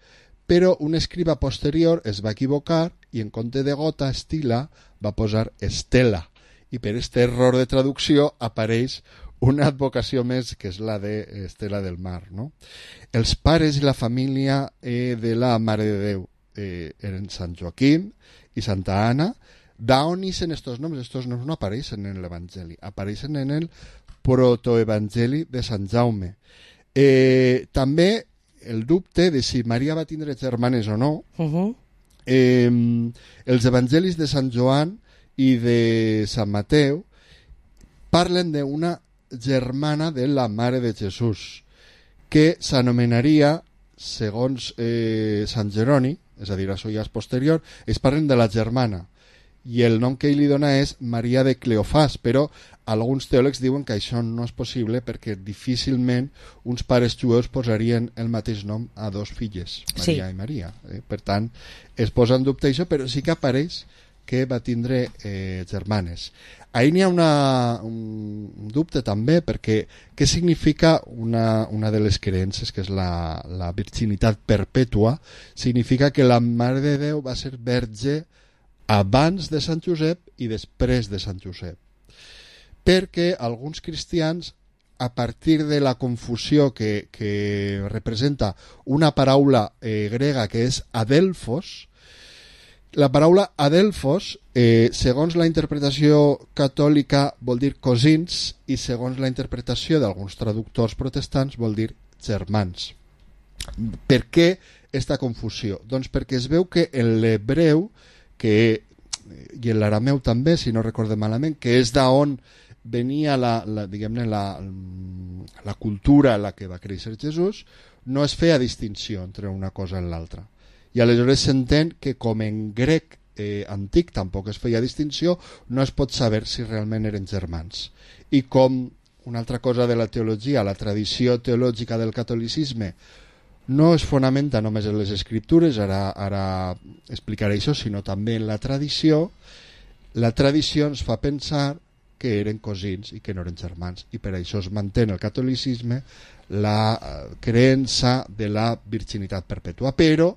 però un escriba posterior es va equivocar i en compte de gota, Stilla, va posar Estela, i per aquest error de traducció apareix una advocació més, que és la de Estela del Mar, no? Els pares i la família eh, de la Mare de Déu eh, eren Sant Joaquim i Santa Anna. D'on ixen estos noms? Estos noms no apareixen en l'Evangeli, apareixen en el protoevangeli de Sant Jaume. Eh, també el dubte de si Maria va tindre germanes o no. Uh-huh. eh, els evangelis de Sant Joan i de Sant Mateu parlen d'una germana de la Mare de Jesús, que s'anomenaria, segons eh, Sant Jeroni, és a dir, això ja és posterior, es parlen de la germana, i el nom que ell li dona és Maria de Cleofàs, però alguns teòlegs diuen que això no és possible perquè difícilment uns pares jueus posarien el mateix nom a dos filles, Maria sí. i Maria. Eh? Per tant, es posa en dubte això, però sí que apareix que va tindre eh, germanes. Ahí n'hi ha una, un dubte també, perquè què significa una, una de les creences, que és la, la virginitat perpètua? Significa que la Mare de Déu va ser verge abans de Sant Josep i després de Sant Josep. Perquè alguns cristians, a partir de la confusió que, que representa una paraula eh, grega que és adelphos, la paraula adelphos, eh, segons la interpretació catòlica, vol dir cosins, i segons la interpretació d'alguns traductors protestants vol dir germans. Per què aquesta confusió? Doncs perquè es veu que en l'hebreu, que, i en l'arameu també, si no recordem malament, que és d'on venia la, la, diguem-ne, la, la cultura en la que va créixer Jesús, no es feia distinció entre una cosa i l'altra. I aleshores s'entén que com en grec eh, antic tampoc es feia distinció, no es pot saber si realment eren germans. I com una altra cosa de la teologia, la tradició teològica del catolicisme no es fonamenta només en les escriptures, ara, ara explicaré això, sinó també en la tradició, la tradició ens fa pensar que eren cosins i que no eren germans, i per això es manté en el catolicisme la creença de la virginitat perpètua, però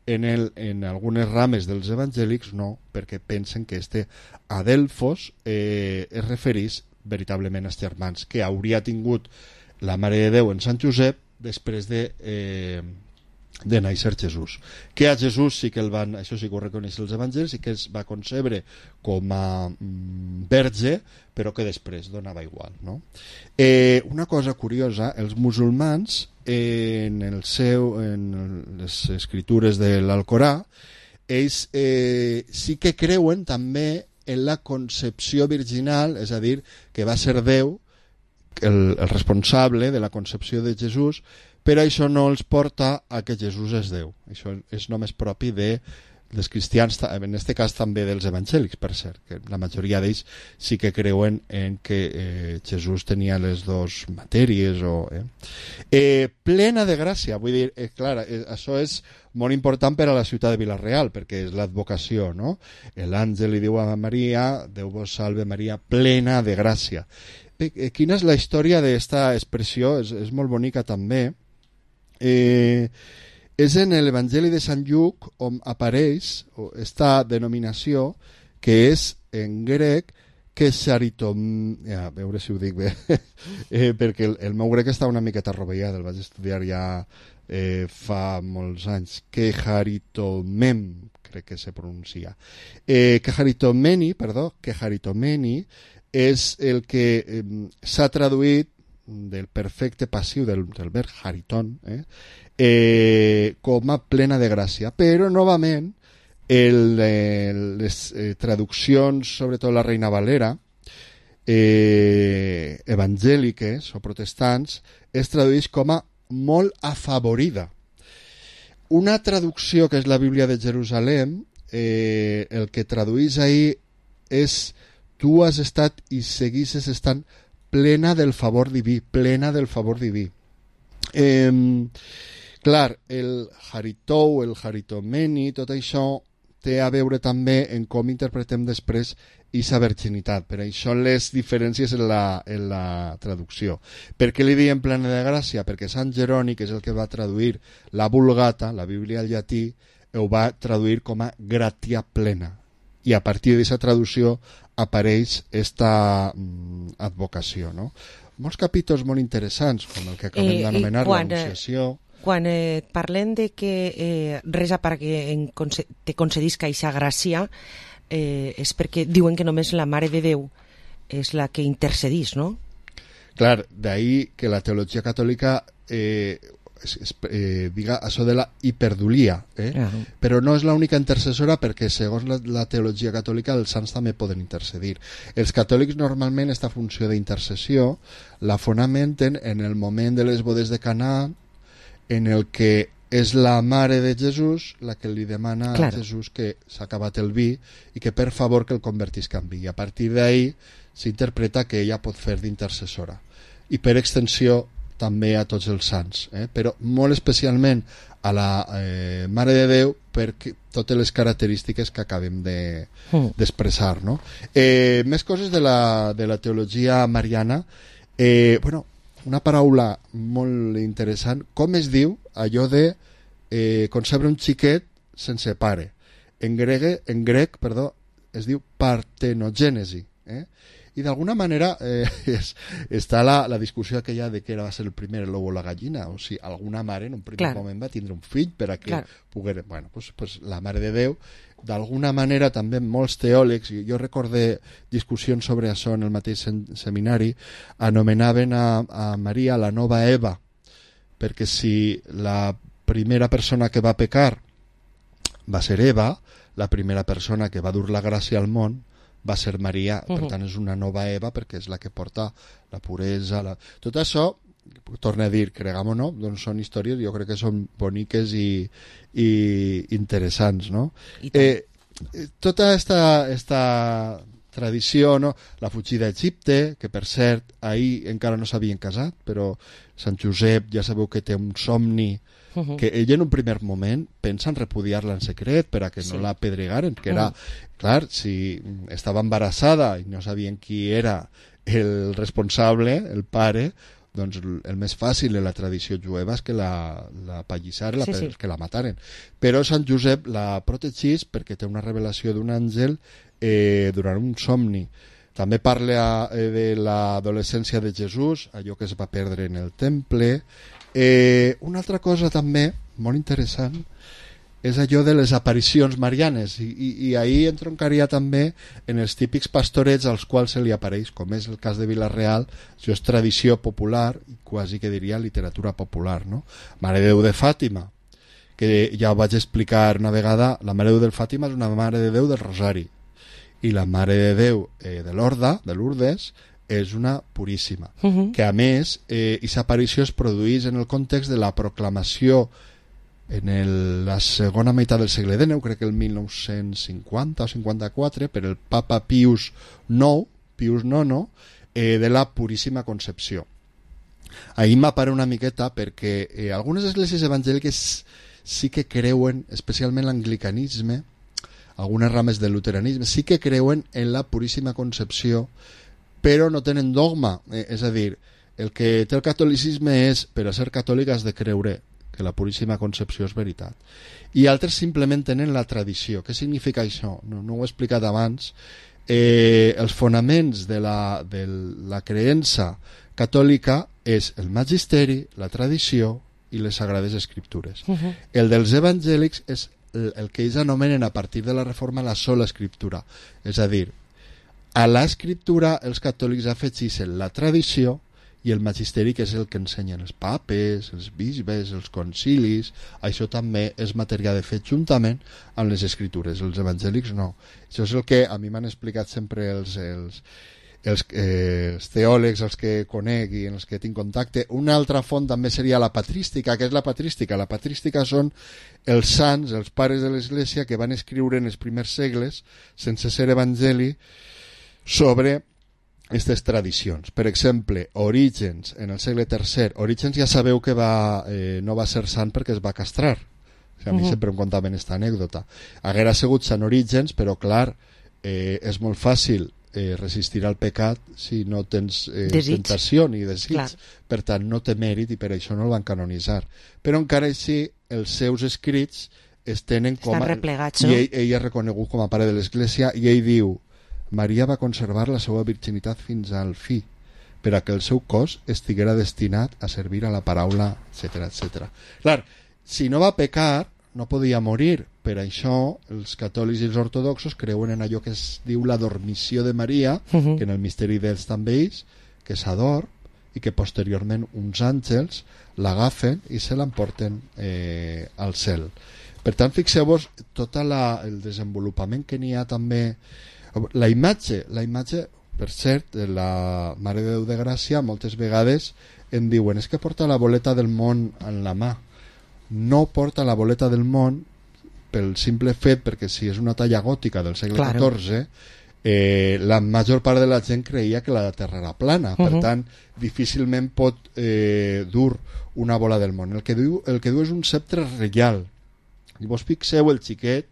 en, el, en algunes rames dels evangèlics no, perquè pensen que este adelphos eh, es referís veritablement als germans que hauria tingut la Mare de Déu en Sant Josep després de, eh, de néixer Jesús. Que a Jesús sí que el van, això sí que ho reconeix els evangelis, sí que es va concebre com a mm, verge, però que després donava igual, no? Eh, una cosa curiosa, els musulmans en el seu, en les escritures de l'Alcorà, ells eh, sí que creuen també en la concepció virginal, és a dir, que va ser Déu el, el responsable de la concepció de Jesús, però això no els porta a que Jesús és Déu. Això és només propi de dels cristians, en aquest cas també dels evangèlics, per cert, que la majoria d'ells sí que creuen en que eh, Jesús tenia les dues matèries. O, eh. Eh, plena de gràcia, vull dir, eh, clar, eh, això és molt important per a la ciutat de Vila-real, perquè és l'advocació, no? L'àngel li diu a Maria, Déu vos salve Maria, plena de gràcia. Eh, quina és la història d'esta expressió? És, és molt bonica també. Eh... És en l'Evangeli de Sant Lluc on apareix esta denominació que és en grec que xaritom... Ja, a veure si ho dic bé, eh, perquè el, el meu grec està una miqueta rovellat, el vaig estudiar ja eh, fa molts anys. Que charitomem, crec que se pronuncia. Eh, que charitomeni, perdó, que charitomeni és el que eh, s'ha traduït del perfecte passiu del, del verb chariton, eh? Eh, com a plena de gràcia, però novament el, el, les eh, traduccions, sobretot la Reina Valera, eh, evangèliques o protestants, es tradueix com a molt afavorida. Una traducció que és la Bíblia de Jerusalem, eh, el que tradueix ahí és tu has estat i seguisses estant plena del favor diví, plena del favor diví. Eh, clar, el Haritou, el Haritomeni, tot això té a veure també en com interpretem després aquesta virginitat. Per això les diferències en la, en la traducció. Per què li diem plena de gràcia? Perquè Sant Jeroni, que és el que va traduir la Vulgata, la Bíblia al llatí, ho va traduir com a gratia plena. I a partir d'aquesta traducció apareix aquesta mm, advocació, no? Molts capítols molt interessants, com el que acabem eh, d'anomenar l'Anunciació. Quan eh, parlem de que eh, resa perquè en conce te concedisca aquesta gràcia, eh, és perquè diuen que només la Mare de Déu és la que intercedís, no? Clar, d'ahí que la teologia catòlica eh, es, es, eh, diga això de la hiperdulia, eh? Uh-huh. Però no és l'única intercessora, perquè segons la, la teologia catòlica els sants també poden intercedir. Els catòlics normalment aquesta funció d'intercessió la fonamenten en el moment de les bodes de Canà, en el que és la mare de Jesús la que li demana claro. a Jesús que s'ha acabat el vi i que per favor que el convertisca en vi. I a partir d'ahí s'interpreta que ella pot fer d'intercessora. I per extensió també a tots els sants, eh? Però molt especialment a la eh, Mare de Déu per totes les característiques que acabem d'expressar, de, no? Eh, més coses de la, de la teologia mariana. Eh, bueno, una paraula molt interessant, com es diu allò de eh, concebre un xiquet sense pare. En grec, en grec perdó, es diu partenogènesi. Eh? I d'alguna manera eh, és, està la, la discussió aquella de que era va ser el primer l'ou o la gallina, o si alguna mare en un primer claro. moment va tindre un fill per a que claro. poguera... Bueno, pues, pues la Mare de Déu, d'alguna manera també molts teòlegs, i jo recordé discussions sobre això en el mateix seminari, anomenaven a, a Maria la nova Eva, perquè si la primera persona que va pecar va ser Eva, la primera persona que va dur la gràcia al món va ser Maria, uh-huh. per tant és una nova Eva perquè és la que porta la puresa, la... tot això, torno a dir, cregam o no, doncs són històries, jo crec que són boniques i, i interessants, no? Eh, tota esta, esta tradició, no? La fugida a Egipte, que per cert ahir encara no s'havien casat, però Sant Josep ja sabeu que té un somni Uh-huh. que ella en un primer moment pensa en repudiar-la en secret per a que sí. no la pedregaren, que era, uh-huh. clar, si estava embarassada i no sabien qui era el responsable, el pare, doncs el més fàcil en la tradició jueva és que la, la pallissaren, sí, sí. que la mataren. Però Sant Josep la protegís perquè té una revelació d'un àngel eh, durant un somni. També parla eh, de l'adolescència de Jesús, allò que es va perdre en el temple. Eh, una altra cosa també molt interessant és allò de les aparicions marianes, i, i, i ahir entroncaria també en els típics pastorets als quals se li apareix, com és el cas de Vila-real. Això és tradició popular i quasi que diria literatura popular, no? Mare de Déu de Fàtima, que ja ho vaig explicar una vegada, la Mare de Déu de Fàtima és una Mare de Déu del Rosari, i la Mare de Déu eh, de l'Horda, de Lourdes, és una puríssima, uh-huh. que a més eh, aquesta aparició es produeix en el context de la proclamació en el, la segona meitat del segle dinou, crec que el mil nou-cents cinquanta o cinquanta-quatre, per el papa Pius nou, Pius nono, eh, de la Puríssima Concepció. Ahir m'apare una miqueta perquè eh, algunes esglésies evangèliques sí que creuen, especialment l'anglicanisme, algunes rames del luteranisme, sí que creuen en la Puríssima Concepció, però no tenen dogma. Eh, és a dir, el que té el catolicisme és, per a ser catòlic has de creure que la Puríssima Concepció és veritat. I altres simplement tenen la tradició. Què significa això? No, no ho he explicat abans. Eh, els fonaments de la, de la creença catòlica és el magisteri, la tradició i les Sagrades Escriptures. Uh-huh. El dels evangèlics és el, el que ells anomenen a partir de la Reforma la sola Escriptura. És a dir, a l'escriptura els catòlics afegeixen la tradició i el magisteri, que és el que ensenyen els papes, els bisbes, els concilis. Això també és matèria de fet juntament amb les escritures. Els evangèlics no. Això és el que a mi m'han explicat sempre els, els, els, eh, els teòlegs, els que conec i en els que tinc contacte. Una altra font també seria la patrística. Què és la patrística? La patrística són els sants, els pares de l'Església, que van escriure en els primers segles, sense ser evangeli, sobre aquestes tradicions. Per exemple, Orígens, en el segle tercer. Orígens ja sabeu que va, eh, no va ser sant perquè es va castrar. O sigui, a mi uh-huh. sempre em contaven aquesta anècdota. Haguera sigut sant Orígens, però clar, eh, és molt fàcil eh, resistir al pecat si no tens eh, tentació ni desig. Clar. Per tant, no té mèrit i per això no el van canonitzar. Però encara així, els seus escrits es tenen com a... Estan replegats, no? I ell, ell és reconegut com a pare de l'Església i ell diu: Maria va conservar la seva virginitat fins al fi, per a que el seu cos estiguera destinat a servir a la paraula, etcètera, etcètera. Clar, si no va pecar, no podia morir. Per això els catòlics i els ortodoxos creuen en allò que es diu la dormició de Maria, uh-huh. que en el misteri dels també ells, que s'adorm i que posteriorment uns àngels l'agafen i se l'emporten eh, al cel. Per tant, fixeu-vos tot la, el desenvolupament que n'hi ha també. La imatge, la imatge, per cert, de la Mare de Déu de Gràcia, moltes vegades em diuen és que porta la boleta del món en la mà. No porta la boleta del món pel simple fet, perquè si és una talla gòtica del segle claro. catorze, eh, la major part de la gent creia que la Terra era plana. Uh-huh. Per tant, difícilment pot eh, dur una bola del món. El que diu, el que diu és un sceptre reial. I vos fixeu, el xiquet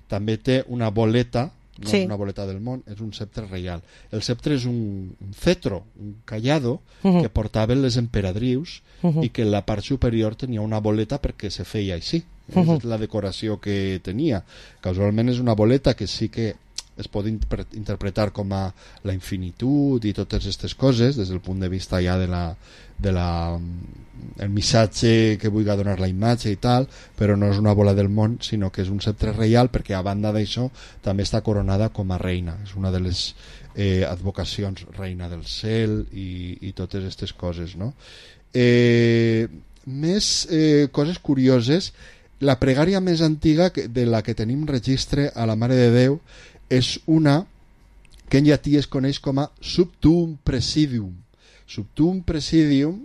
també té una boleta. No sí. és una boleta del món, és un sceptre reial. El sceptre és un, un cetro, un callado, uh-huh. que portaven les emperadrius uh-huh. i que en la part superior tenia una boleta perquè se feia així. Uh-huh. És la decoració que tenia. Casualment és una boleta que sí que es pot inter- interpretar com a la infinitud i totes aquestes coses des del punt de vista ja de la, de la el missatge que vulgui donar la imatge i tal, però no és una bola del món, sinó que és un sceptre reial, perquè a banda d'això també està coronada com a reina. És una de les eh, advocacions, reina del cel i, i totes aquestes coses, no? Eh, més eh, coses curioses. La pregària més antiga de la que tenim registre a la Mare de Déu és una que en llatí es coneix com a Subtuum Presidium. Subtuum Presidium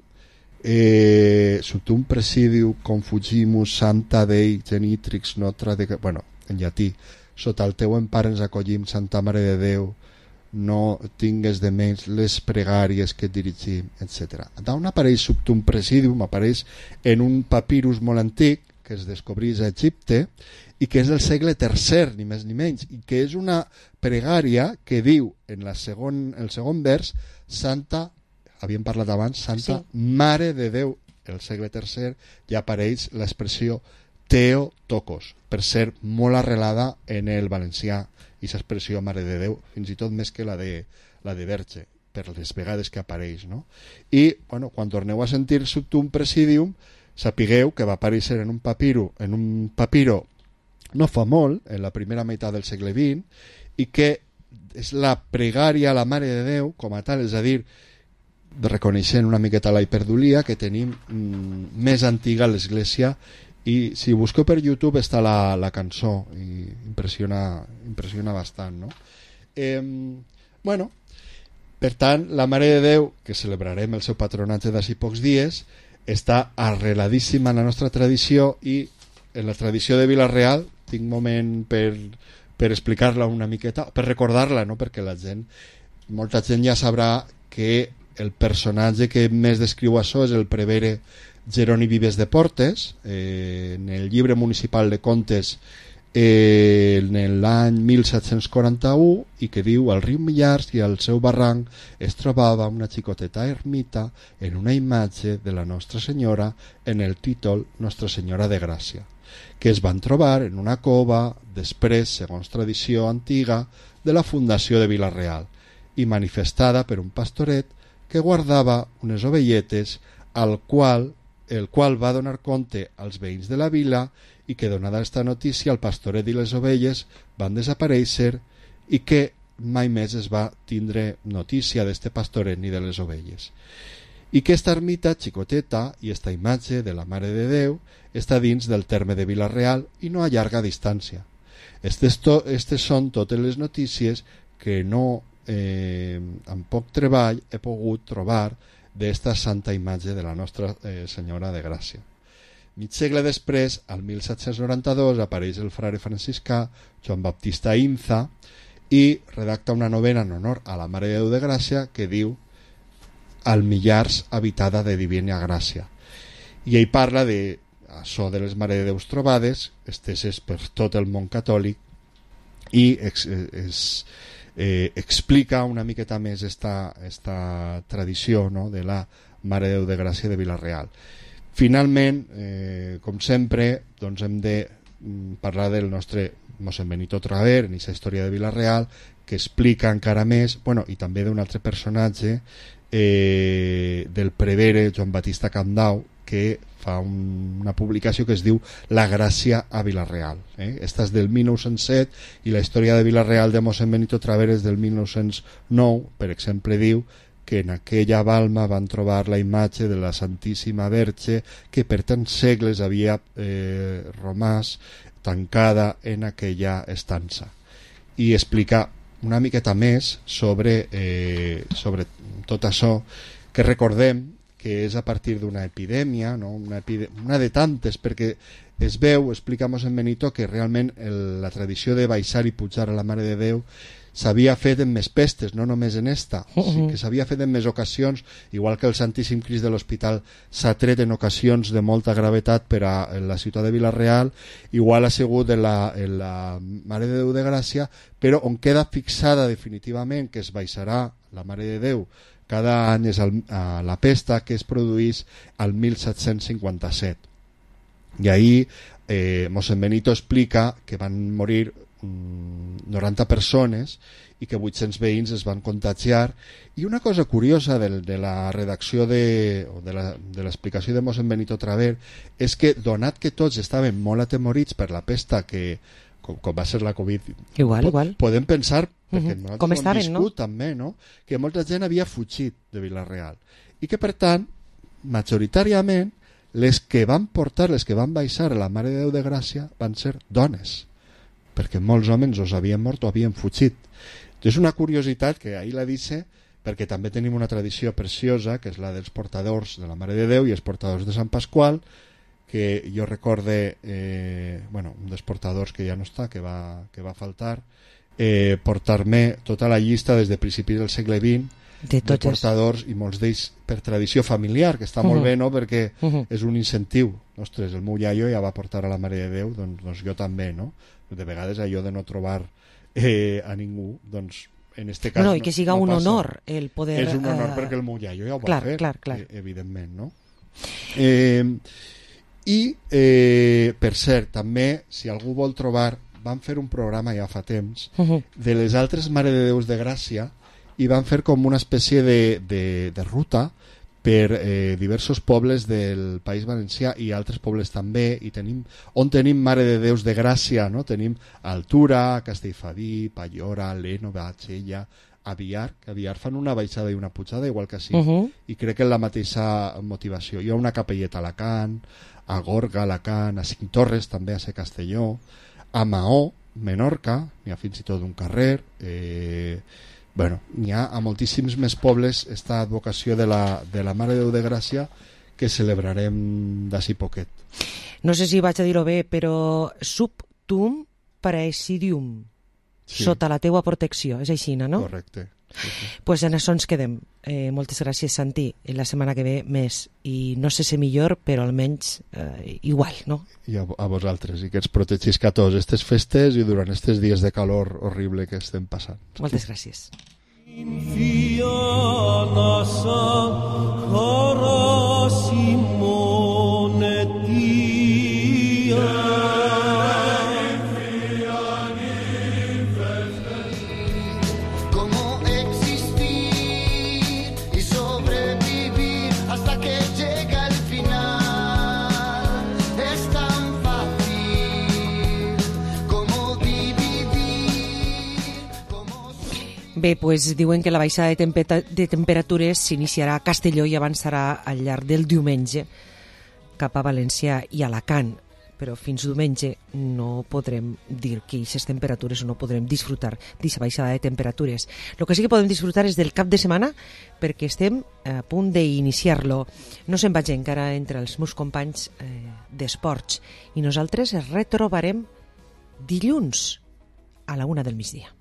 eh, Subtuum Presidium Confugimus Santa Dei Genitrix Nostra de... bueno, en llatí: sota el teu empar ens acollim, Santa Mare de Déu, no tingues de menys les pregàries que et dirigim, etcètera. D'on apareix Subtuum Presidium? Apareix en un papirus molt antic que es descobrís a Egipte i que és del segle tercer, ni més ni menys, i que és una pregària que diu en la segon, el segon vers: Santa, havíem parlat abans, Santa sí. Mare de Déu. El segle tercer ja apareix l'expressió Theotokos, per ser molt arrelada en el valencià, i l'expressió Mare de Déu, fins i tot més que la de, la de Verge, per les vegades que apareix, no? I, bueno, quan torneu a sentir Subtuum Presidium, sapigueu que va aparèixer en un papiro, en un papiro no fa molt, en la primera meitat del segle vint, i que és la pregària a la Mare de Déu com a tal, és a dir, reconeixent una miqueta la hiperdulia que tenim mm, més antiga a l'Església, i si busqueu per YouTube està la, la cançó i impressiona, impressiona bastant, no? Eh, bueno, per tant, la Mare de Déu, que celebrarem el seu patronatge d'ací pocs dies, està arreladíssima en la nostra tradició, i en la tradició de Vila-real tinc moment per, per explicar-la una miqueta, per recordar-la, no? Perquè la gent, molta gent ja sabrà que el personatge que més descriu això és el prevere Jeroni Vives de Portes, eh, en el llibre municipal de contes eh, en l'any mil set-cents quaranta-u, i que diu: al riu Millars i al seu barranc es trobava una xicoteta ermita en una imatge de la Nostra Senyora en el títol Nostra Senyora de Gràcia, que es van trobar en una cova després, segons tradició antiga, de la fundació de Vila-real, i manifestada per un pastoret que guardava unes ovelletes al qual el qual va donar compte als veïns de la vila, i que, donada esta notícia, el pastoret i les ovelles van desaparèixer, i que mai més es va tindre notícia d'este pastoret ni de les ovelles. I que esta ermita xicoteta i esta imatge de la Mare de Déu està dins del terme de Vila-real i no a llarga distància. Estes, to, estes són totes les notícies que no, eh, amb poc treball, he pogut trobar d'esta santa imatge de la Nostra eh, Senyora de Gràcia. Mig segle després, al mil set-cents noranta-dos, apareix el frare franciscà Joan Baptista Inza i redacta una novena en honor a la Mare de Déu de Gràcia que diu Al Millars habitada de divina gràcia. I ell parla de això de les Mare de Déus trobades, esteses per tot el món catòlic, i es, es Eh, explica una miqueta més esta, esta tradició, no?, de la Mare de Déu de Gràcia de Vila-real. Finalment, eh, com sempre, doncs hem de mm, parlar del nostre mossèn Benito Traver en aquesta història de Vila-real, que explica encara més, bueno, i també d'un altre personatge, eh, del prevere Joan Batista Candau, que fa un, una publicació que es diu La Gràcia a Vila-real. Eh? Esta és del mil nou-cents set, i la història de Vila-real de mossèn Benito Traver és del mil nou-cents nou. Per exemple, diu que en aquella balma van trobar la imatge de la Santíssima Verge que per tants segles havia eh, romàs tancada en aquella estança. I explica una miqueta més sobre, eh, sobre tot això, que recordem que és a partir d'una epidèmia, no? una, epide una de tantes, perquè es veu, explica mossèn Benito, que realment el, la tradició de baixar i pujar a la Mare de Déu s'havia fet en més pestes, no només en esta, uh -huh. sí que s'havia fet en més ocasions, igual que el Santíssim Crist de l'Hospital s'ha tret en ocasions de molta gravetat per a la ciutat de Vila-real, igual ha sigut en la, en la Mare de Déu de Gràcia, però on queda fixada definitivament que es baixarà la Mare de Déu cada any és el, a la pesta, que es produís al mil set-cents cinquanta-set. I ahí eh, mossèn Benito explica que van morir mm, noranta persones i que vuit-cents veïns es van contagiar. I una cosa curiosa de, de la redacció de, o de l'explicació de, de mossèn Benito Traver és que, donat que tots estaven molt atemorits per la pesta que com, com va ser la Covid, igual, igual. podem pensar, perquè uh-huh. nosaltres com ho hem estaven, viscut no? també, no? Que molta gent havia fugit de Vila-real i que, per tant, majoritàriament les que van portar, les que van baixar a la Mare de Déu de Gràcia van ser dones, perquè molts homes os havien mort o havien fugit. És una curiositat que ahir la dice, perquè també tenim una tradició preciosa, que és la dels portadors de la Mare de Déu i els portadors de Sant Pasqual, que jo recorde, eh, bueno, un dels portadors que ja no està, que va, que va faltar, eh, portar-me tota la llista des de principis del segle vint de, de portadors, i molts d'ells per tradició familiar, que està uh-huh. molt bé, no?, perquè uh-huh. és un incentiu. Ostres, el meu iaio ja va portar a la Mare de Déu, doncs, doncs jo també, no? De vegades allò de no trobar eh, a ningú, doncs en este cas no, i que siga no un passa. honor el poder... És un honor uh... perquè el meu iaio ja ho va clar, fer, clar, clar. Eh, evidentment, no? Eh, I, eh, per cert, també, si algú vol trobar, van fer un programa ja fa temps uh-huh. de les altres Mare de Déus de Gràcia, i van fer com una espècie de, de, de ruta per eh, diversos pobles del País Valencià i altres pobles també, i tenim, on tenim Mare de Déus de Gràcia, no? Tenim Altura, Castellfabí, Pallora, Leno, Batxella, Aviar, que Aviar fan una baixada i una pujada igual que així, uh -huh. i crec que en la mateixa motivació. Hi ha una capelleta a Alacant, a Gorga, a Alacant, a Cinc Torres també, a Ser Castelló, a Maó, Menorca, n'hi ha fins i tot un carrer, eh, bueno, n'hi ha a moltíssims més pobles esta advocació de la, de la Mare de Déu de Gràcia que celebrarem d'ací poquet. No sé si vaig a dir-ho bé, però sub tuum praesidium, sí. Sota la teua protecció, és així, no? Correcte. Sí, sí. Pues en això ens quedem. Eh, moltes gràcies, Santi. La setmana que ve més. I no sé si millor, però almenys eh, igual, no? I a, a vosaltres, i que ens protegisca a tots aquestes festes i durant aquests dies de calor horrible que estem passant. Moltes gràcies. Bé, doncs diuen que la baixada de, tempe- de temperatures s'iniciarà a Castelló i avançarà al llarg del diumenge cap a València i Alacant, però fins diumenge no podrem dir que aquestes temperatures o no podrem disfrutar d'aquesta baixada de temperatures. El que sí que podem disfrutar és del cap de setmana, perquè estem a punt d'iniciar-lo. No se'n vaig encara entre els meus companys eh, d'esports i nosaltres es retrobarem dilluns a la una del migdia.